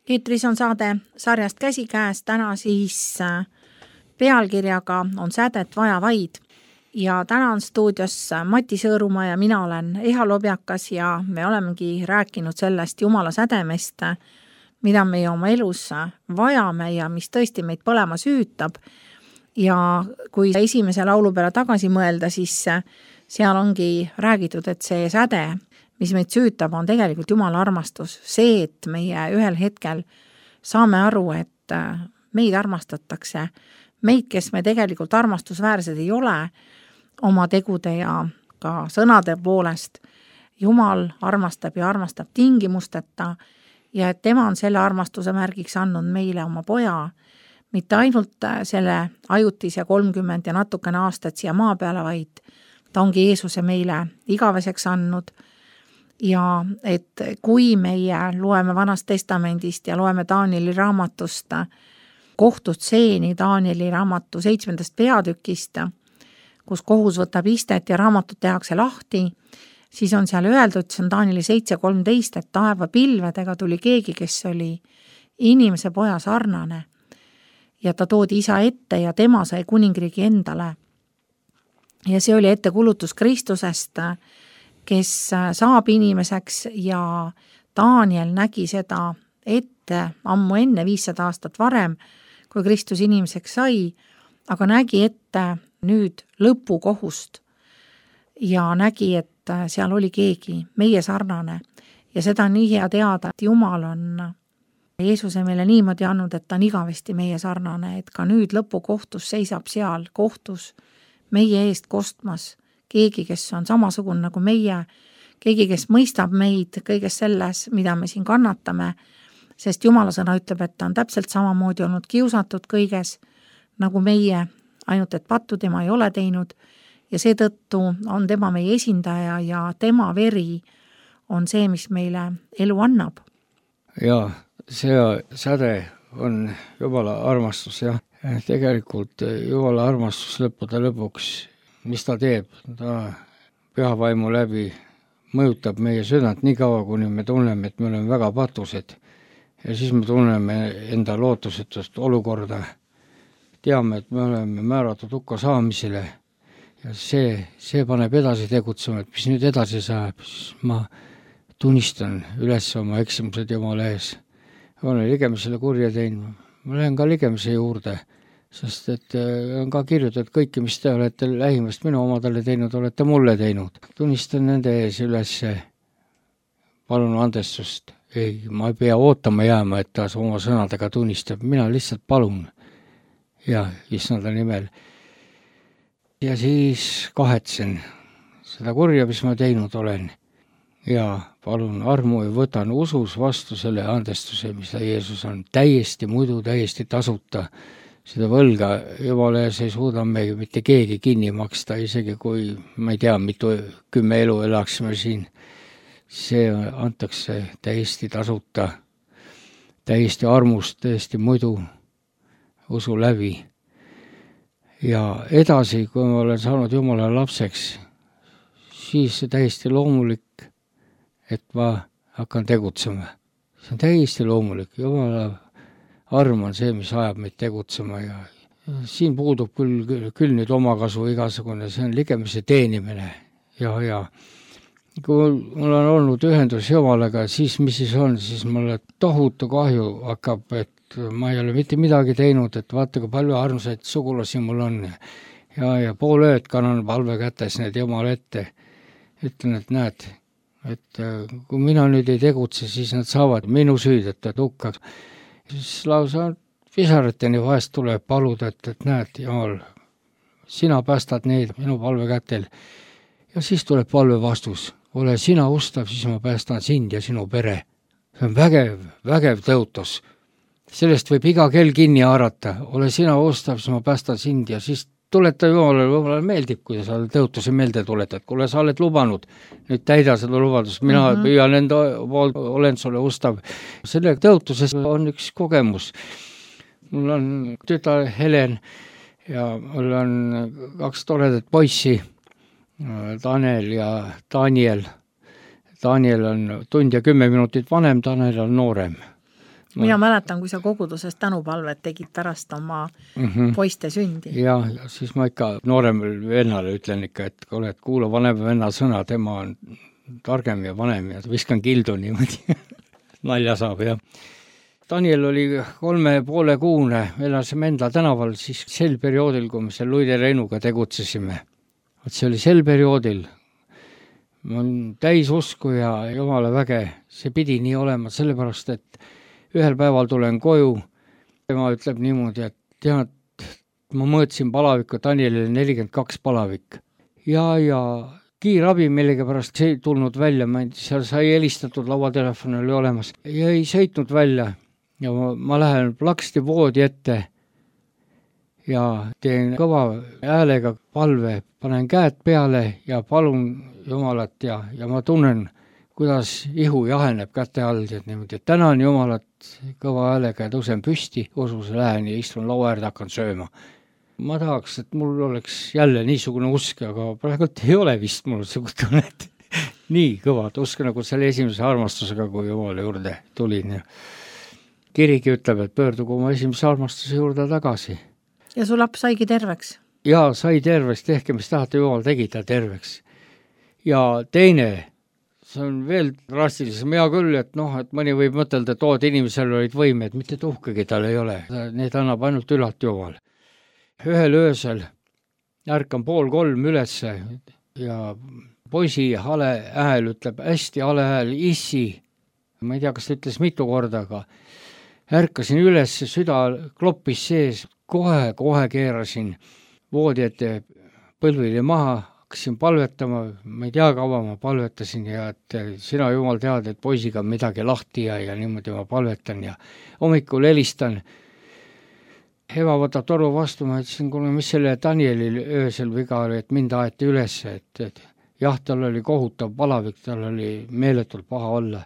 Eetris on saade sarjast Käsikäes, täna siis pealkirjaga On sädet vaja vaid. Ja täna on stuudios Mati Sõõrumaa ja mina olen Eha Lobjakas ja me olemegi rääkinud sellest Jumala sädemest, mida me oma elus vajame ja mis tõesti meid põlema süütab. Ja kui esimese laulu peale tagasi mõelda, siis seal ongi räägitud, et see säde, mis meid süütab, on tegelikult Jumala armastus. See, et meie ühel hetkel saame aru, et meid armastatakse, meid, kes me tegelikult armastusväärsed ei ole, oma tegude ja ka sõnade poolest. Jumal armastab ja armastab tingimusteta ja et tema on selle armastuse märgiks andnud meile oma poja, mitte ainult selle ajutise 30 ja natukene aastat siia maa peale, vaid ta ongi Jeesuse meile igaveseks andnud. Ja et kui meie loeme Vanast Testamendist ja loeme Danieli raamatust kohtutseeni Danieli raamatu 7. peatükist, kus kohus võtab istet ja raamatut tehakse lahti, siis on seal öeldud, see on Danieli 7.13, et taeva pilvedega tuli keegi, kes oli inimese poja sarnane. Ja ta toodi isa ette ja tema sai kuningriigi endale. Ja see oli ettekulutus Kristusest, kes saab inimeseks ja Daniel nägi seda ette ammu enne 500 aastat varem, kui Kristus inimeseks sai, aga nägi ette nüüd lõpukohust ja nägi, et seal oli keegi meie sarnane ja seda on nii hea teada, et Jumal on Jeesuse meile niimoodi andnud, et ta on igavesti meie sarnane, et ka nüüd lõpukohtus seisab seal kohtus meie eest kostmas keegi, kes on samasugune nagu meie, keegi, kes mõistab meid kõiges selles, mida me siin kannatame, sest Jumala sõna ütleb, et ta on täpselt samamoodi olnud kiusatud kõiges nagu meie, ainult et pattu tema ei ole teinud ja seetõttu on tema meie esindaja ja tema veri on see, mis meile elu annab. Jaa, see säde on Jumala armastus, jah. Tegelikult Jumala armastus lõpuks, mis ta teeb, ta pühavaimu läbi mõjutab meie südant nii kaua, kuni me tunneme, et me oleme väga patused ja siis me tunneme enda lootusetust olukorda. Teame, et me oleme määratud hukka saamisele ja see paneb edasi tegutsema, et mis nüüd edasi saab, siis ma tunnistan üles oma eksimused Jumala ees. Olen ligemisele kurja teinud, ma lähen ka ligemise juurde, sest et on ka kirjutatud kõike, mis te olete lähimast minu omadele teinud, olete mulle teinud. Tunnistan nende ees üles, palun andestust. Ei, ma ei pea ootama jääma, et ta oma sõnadega tunnistab, mina lihtsalt palun. Ja issanda nimel. Ja siis kahetsen seda kurja, mis ma teinud olen. Ja palun armu ja võtan usus vastu selle andestuse, mis ta Jeesus on täiesti muidu, täiesti tasuta. Seda võlga Jumala ees ei suuda me mitte keegi kinni maksta, isegi kui ma ei tea, mitu 10 elu elaksime siin. See antakse täiesti tasuta, täiesti armust, täiesti muidu usu läbi. Ja edasi, kui ma olen saanud Jumala lapseks, siis see täiesti loomulik, et ma hakkan tegutsema. See on täiesti loomulik. Jumala arm on see, mis ajab meid tegutsema ja siin puudub küll nüüd omakasu igasugune, see on ligemise teenimine ja kui mul on olnud ühendus Jumalaga, siis mis siis on, siis mulle tohutu kahju hakkab, et ma ei ole mitte midagi teinud, et vaata, kui palju armsaid sugulasi mul on ja pool ööd kannan palve kätes need Jumala ette. Ütlen, et näed, et kui mina nüüd ei tegutse, siis nad saavad minu süüdetud hukka. Siis lausa pisarateni vahest tuleb paluda, et näed, Jumal, sina päästad neid minu palve kätel. Ja siis tuleb palve vastus. Ole sina ustav, siis ma päästan sind ja sinu pere. See on vägev tõotus. Sellest võib iga kell kinni haarata. Ole sina ustav, siis ma päästan sind ja siis tuleta Jumalale meeldib, kui sa tõotuse meelde tuletad. Kuule, sa oled lubanud, nüüd täida seda lubadust. Mina püüan enda poolt, olen sulle ustav. Selle tõotuses on üks kogemus. Mul on tütar Helen ja mul on 2 toredat poissi, Tanel ja Daniel. Daniel on 1 tund ja 10 minutit vanem, Tanel on noorem. Mina mäletan, kui sa koguduses tänupalvet tegid pärast oma poiste sündi. Ja siis ma ikka nooremale vennale ütlen ikka, et kuula vanema venna sõna, tema on targem ja vanem ja viskan kildu niimoodi. Nalja saab, jah. Daniel oli 3,5 kuune, elasime Endla tänaval siis sel perioodil, kui me seal Luide Reinuga tegutsesime. See oli sel perioodil. Ma olen täis usku ja Jumala väge, see pidi nii olema, sellepärast, et ühel päeval tulen koju. Tema ütleb niimoodi, et tead, ma mõõtsin palavikku, Danielile 42 palavik. Ja kiirabi millega pärast see ei tulnud välja, seal sai helistatud, lauatelefon oli olemas ja ei sõitnud välja. Ja ma lähen plaksti voodi ette ja teen kõva häälega palve, panen käed peale ja palun Jumalat ja ma tunnen, kuidas ihu jaheneb käte all, et niimoodi, et tänan Jumalat kõva häälega ja tõusen püsti, usus lähen ja istun laua äärde, hakkan sööma. Ma tahaks, et mul oleks jälle niisugune usk, aga praegult ei ole vist mul tunnet nii kõvad usk, nagu selle esimese armastusega, kui Jumala juurde tulin. Kirigi ütleb, et pöördugu oma esimese armastuse juurde tagasi. Ja su laps saigi terveks? Ja sai terveks, tehke, mis tahate, Jumal tegi ta terveks. Ja teine, see on veel drastilisem, hea küll, et et mõni võib mõtelda, et inimesel olid võimed, mitte tuhkagi tal ei ole. Need annab ainult ülat Jumal. Ühel öösel ärkan 2:30 ülesse ja poisi hale hääl ütleb, hästi hale hääl, issi. Ma ei tea, kas ta ütles mitu korda, aga ärkasin üles, süda kloppis sees, kohe keerasin voodi ette põlvili maha, hakkasin palvetama, ma ei tea, kaua ma palvetasin ja et sina Jumal tead, et poisiga on midagi lahti ja niimoodi ma palvetan ja hommikul helistan. Eva võtab toru vastu, ma ütlesin, kuule, mis selle Danielil öösel viga oli, et mind aeti üles, et jah, tal oli kohutav palavik, tal oli meeletult paha olla.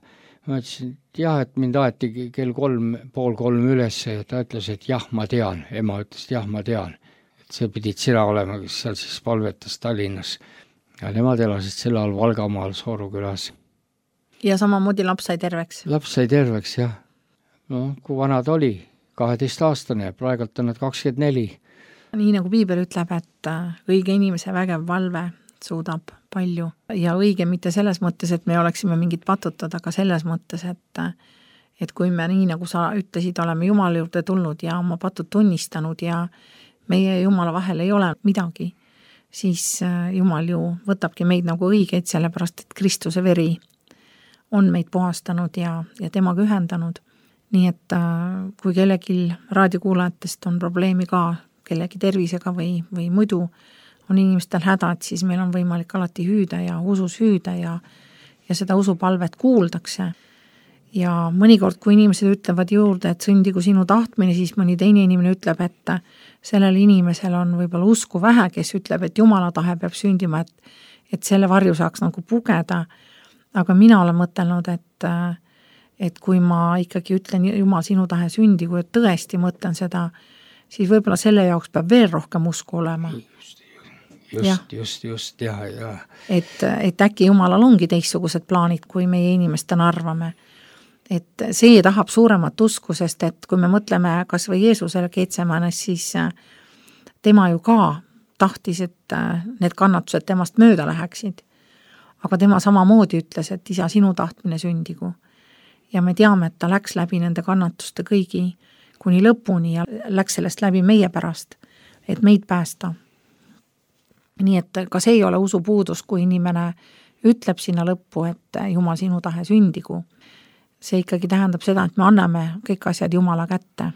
Ma ütlesin, et jah, et mind aeti kell 2:30 üles ja ta ütles, et jah, ma tean. Ema ütles, et jah, ma tean. Et see pidid sina olema, kes seal siis palvetas Tallinnas. Ja nemad elasid selle all Valgamaal Soorukülas. Ja samamoodi laps sai terveks? Laps sai terveks, jah. No, kui vana ta oli? 12-aastane, praegult on nad 24. Nii nagu Piibel ütleb, et õige inimese vägev valve suudab palju. Ja õige mitte selles mõttes, et me oleksime mingid patutud, aga selles mõttes, et kui me nii nagu sa ütlesid, oleme Jumala juurde tulnud ja oma patud tunnistanud ja meie Jumala vahel ei ole midagi, siis Jumal ju võtabki meid nagu õigeid, sellepärast et Kristuse veri on meid puhastanud ja temaga ühendanud. Nii et kui kellegi raadiokuulajatest on probleemi ka kellegi tervisega või muidu on inimestel hädad, siis meil on võimalik alati hüüda ja usus hüüda ja seda usupalvet kuuldakse. Ja mõnikord, kui inimesed ütlevad juurde, et sündigu sinu tahtmine, siis mõni teine inimene ütleb, et sellel inimesel on võib-olla usku vähe, kes ütleb, et Jumala tahe peab sündima, et selle varju saaks nagu pugeda. Aga mina olen mõtelnud, et kui ma ikkagi ütlen Jumal sinu tahe sündi, kui tõesti mõtlen seda, siis võib-olla selle jaoks peab veel rohkem usku olema. Just, ja. Et äkki Jumalal ongi teistsugused plaanid, kui meie inimestena arvame. Et see tahab suuremat usku, sest et kui me mõtleme kas või Jeesusele Getsemänes, siis tema ju ka tahtis, et need kannatused temast mööda läheksid. Aga tema samamoodi ütles, et isa sinu tahtmine sündigu. Ja me teame, et ta läks läbi nende kannatuste kõigi kuni lõpuni ja läks sellest läbi meie pärast, et meid päästa. Nii et ka see ei ole usupuudus, kui inimene ütleb sinna lõppu, et Jumal sinu tahe sündigu. See ikkagi tähendab seda, et me anname kõik asjad Jumala kätte.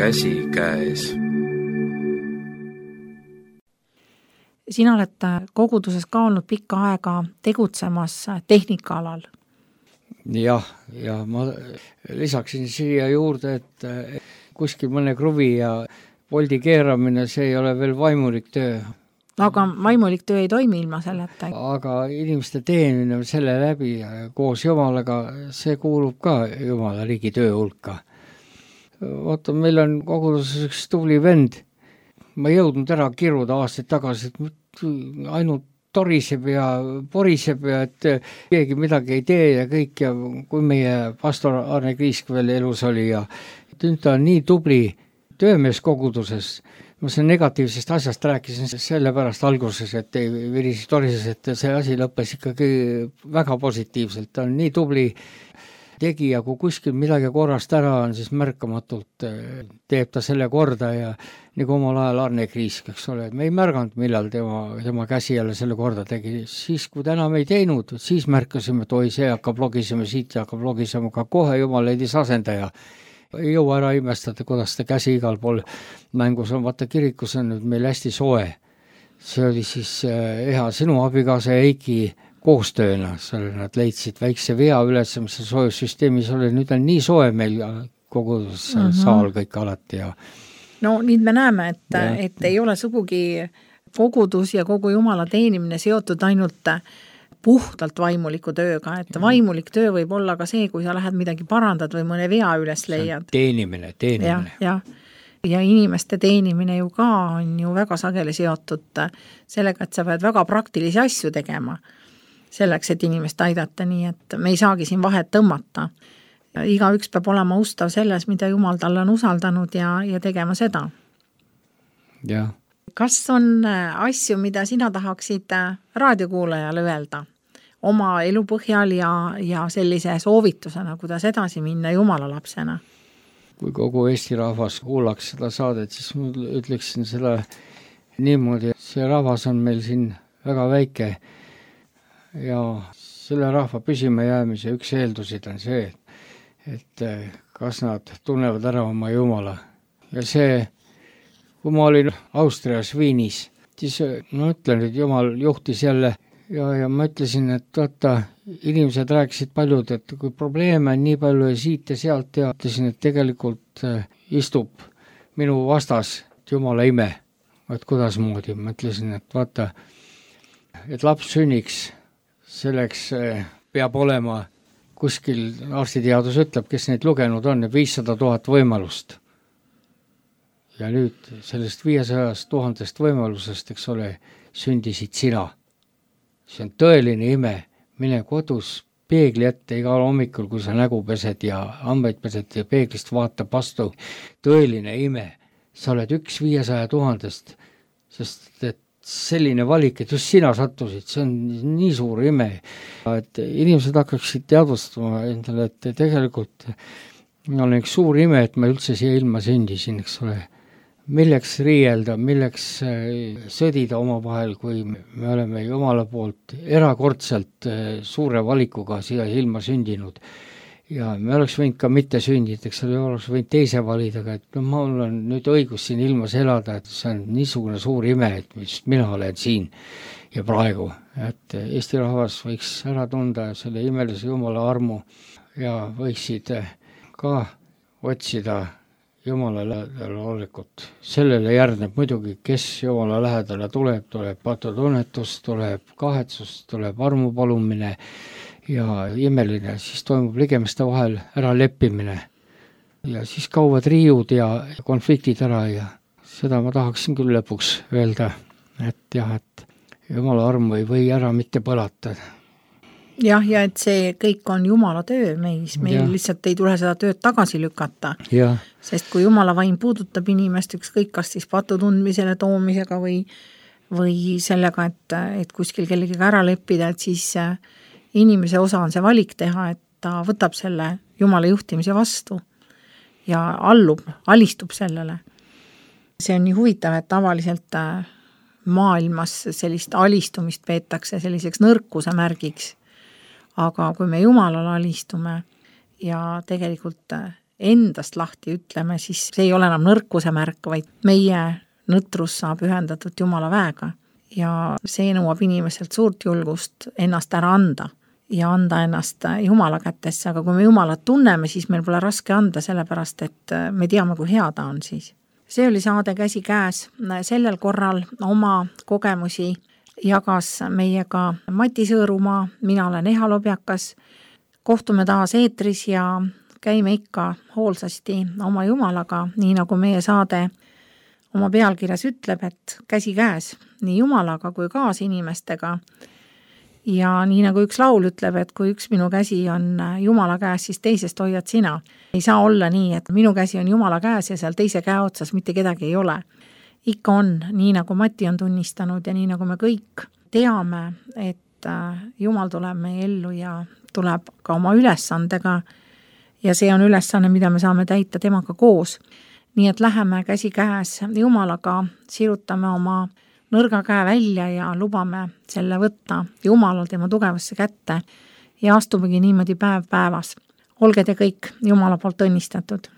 Käsi käes. Sina oled koguduses ka olnud pikka aega tegutsemas tehnikaalal. Ja ma lisaksin siia juurde, et kuskil mõne kruvi ja voldi keeramine, see ei ole veel vaimulik töö. aga vaimulik töö ei toimi ilma selleta. Aga inimeste teenimine selle läbi koos Jumalaga, see kuulub ka Jumala riigi töö hulka. Vaata, meil on koguduses üks tubli vend, ma ei jõudnud ära kiruda aastaid tagasi, et ainult toriseb ja poriseb ja et keegi midagi ei tee ja kõik, ja kui meie pastor Arne Kriisk veel elus oli ja nüüd ta on nii tubli töömees koguduses. Ma selle negatiivsest asjast rääkisin sellepärast alguses, et ei virisi torises, et see asi lõppes ikkagi väga positiivselt. Ta on nii tubli tegija, kui kuskil midagi korrast ära on, siis märkamatult teeb ta selle korda ja nagu omal ajal Arne Kriisk, eks ole, me ei märganud, millal tema käsi jälle selle korda tegi. Siis, kui ta enam ei teinud, siis märkasime, et oi, see hakkab logisema siit ja hakkab logisema, ka kohe Jumal leidis asendaja. Ei jõua ära imestada, kuidas ta käsi igal pool mängus on. Vaata, kirikus on nüüd meil hästi soe. See oli siis hea sinu abikaasa Eiki koostööna. Nad leidsid väikse vea üles, mis soojussüsteemis oli. Nüüd on nii soe meil kogu saal kõik alati. Ja no nüüd me näeme, et ei ole sugugi kogudus ja kogu Jumala teenimine seotud ainult puhtalt vaimuliku tööga, et vaimulik töö võib olla ka see, kui sa lähed midagi parandad või mõne vea üles leiad. Teenimine. Ja inimeste teenimine ju ka on ju väga sageli seotud sellega, et sa pead väga praktilisi asju tegema selleks, et inimest aidata, nii et me ei saagi siin vahet tõmmata. Igaüks peab olema ustav selles, mida Jumal talle on usaldanud ja tegema seda. Jah. Kas on asju, mida sina tahaksid raadiokuulajale öelda oma elu põhjal ja sellise soovitusena, kuidas edasi minna Jumala lapsena? Kui kogu Eesti rahvas kuulaks seda saadet, siis ma ütleksin seda niimoodi, et see rahvas on meil siin väga väike ja selle rahva püsima jäämise üks eeldusid on see, et kas nad tunnevad ära oma Jumala. Ja see, kui ma olin Austrias Viinis, siis ma ütlen, et Jumal juhtis jälle ja ma ütlesin, et vaata, inimesed rääkisid paljud, et kui probleeme on nii palju ja siit ja sealt ja ütlesin, et tegelikult istub minu vastas Jumala ime. Et kuidas moodi? Ma ütlesin, et vaata, et laps sünniks, selleks peab olema kuskil, arstiteadus ütleb, kes neid lugenud on, 500 000 võimalust. Ja nüüd sellest 500 000 võimalusest, eks ole, sündisid sina. See on tõeline ime. Mine kodus peegli ette igal hommikul, kui sa nägu pesed ja hambaid pesed ja peeglist vaatab vastu. Tõeline ime. Sa oled 500 000, sest et selline valik, et just sina sattusid, see on nii suur ime. Et inimesed hakkaksid teadvustama endale, et tegelikult on üks suur ime, et ma üldse siia ilma sündisin, eks ole. Milleks riielda, milleks sõdida oma vahel, kui me oleme Jumala poolt erakordselt suure valikuga siia ilma sündinud. Ja me oleks võinud ka mitte sündida, eks ole, oleks võinud teise valida, et mul on nüüd õigus siin ilmas elada, et see on niisugune suur ime, et just mina olen siin ja praegu. Et Eesti rahvas võiks ära tunda selle imelise Jumala armu ja võiksid ka otsida Jumala lähedale olekut. Sellele järgneb muidugi, kes Jumala lähedale tuleb patutunnetus, tuleb kahetsus, tuleb armupalumine ja imeline, siis toimub ligemiste vahel ära leppimine. Ja siis kauvad riiud ja konfliktid ära ja seda ma tahaksin küll lõpuks öelda, et jah, et Jumala armu ei või ära mitte põlata. Jah, ja et see kõik on Jumala töö meis, meil lihtsalt ei tule seda tööd tagasi lükata. Ja. Sest kui Jumala vaim puudutab inimest ükskõik kas siis patu tundmisele toomisega või sellega, et kuskil kellegiga ära leppida, et siis inimese osa on see valik teha, et ta võtab selle Jumala juhtimise vastu ja alistub sellele. See on nii huvitav, et tavaliselt maailmas sellist alistumist peetakse selliseks nõrkuse märgiks. Aga kui me Jumalale alistume ja tegelikult endast lahti ütleme, siis see ei ole enam nõrkuse märk, vaid meie nõtrus saab ühendatud Jumala väega. Ja see nõuab inimeselt suurt julgust ennast ära anda ja anda ennast Jumala kätesse. Aga kui me Jumalat tunneme, siis meil pole raske anda sellepärast, et me teame, kui hea ta on siis. see oli saade Käsikäes. Sellel korral oma kogemusi jagas meiega Mati Sõõrumaa, mina olen Eha Lobjakas. Kohtume taas eetris ja käime ikka hoolsasti oma Jumalaga, nii nagu meie saade oma pealkirjas ütleb, et käsikäes nii Jumalaga kui kaasinimestega. Ja nii nagu üks laul ütleb, et kui üks minu käsi on Jumala käes, siis teisest hoiad sina. Ei saa olla nii, et minu käsi on Jumala käes ja seal teise käe otsas mitte kedagi ei ole. Ikka on, nii nagu Mati on tunnistanud ja nii nagu me kõik teame, et Jumal tuleb meie ellu ja tuleb ka oma ülesandega ja see on ülesanne, mida me saame täita temaga koos. Nii et läheme käsikäes Jumalaga, sirutame oma nõrga käe välja ja lubame selle võtta Jumalal tema tugevasse kätte ja astumegi niimoodi päev päevas. Olge te kõik Jumala poolt õnnistatud.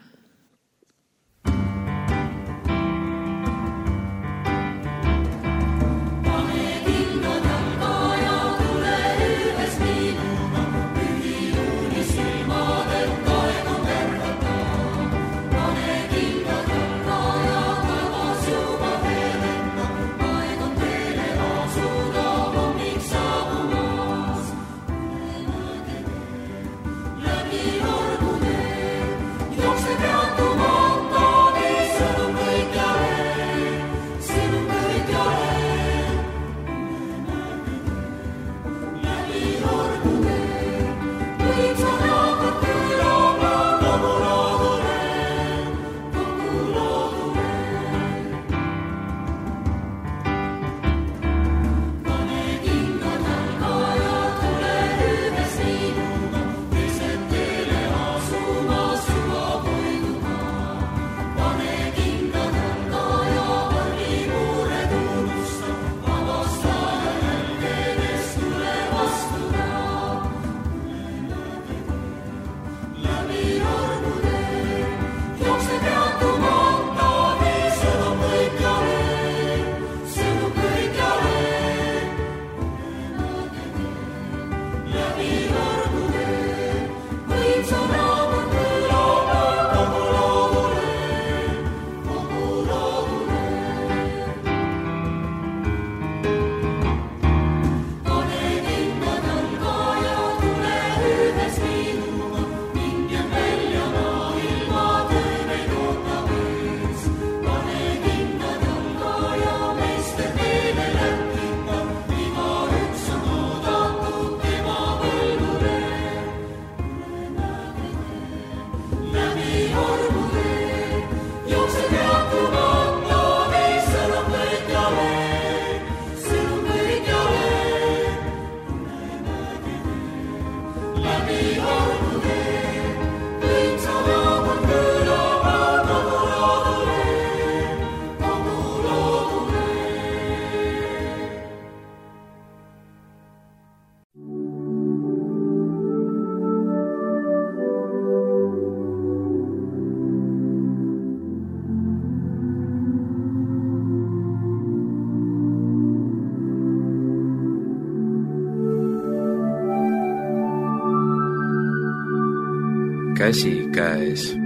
Käsikäes.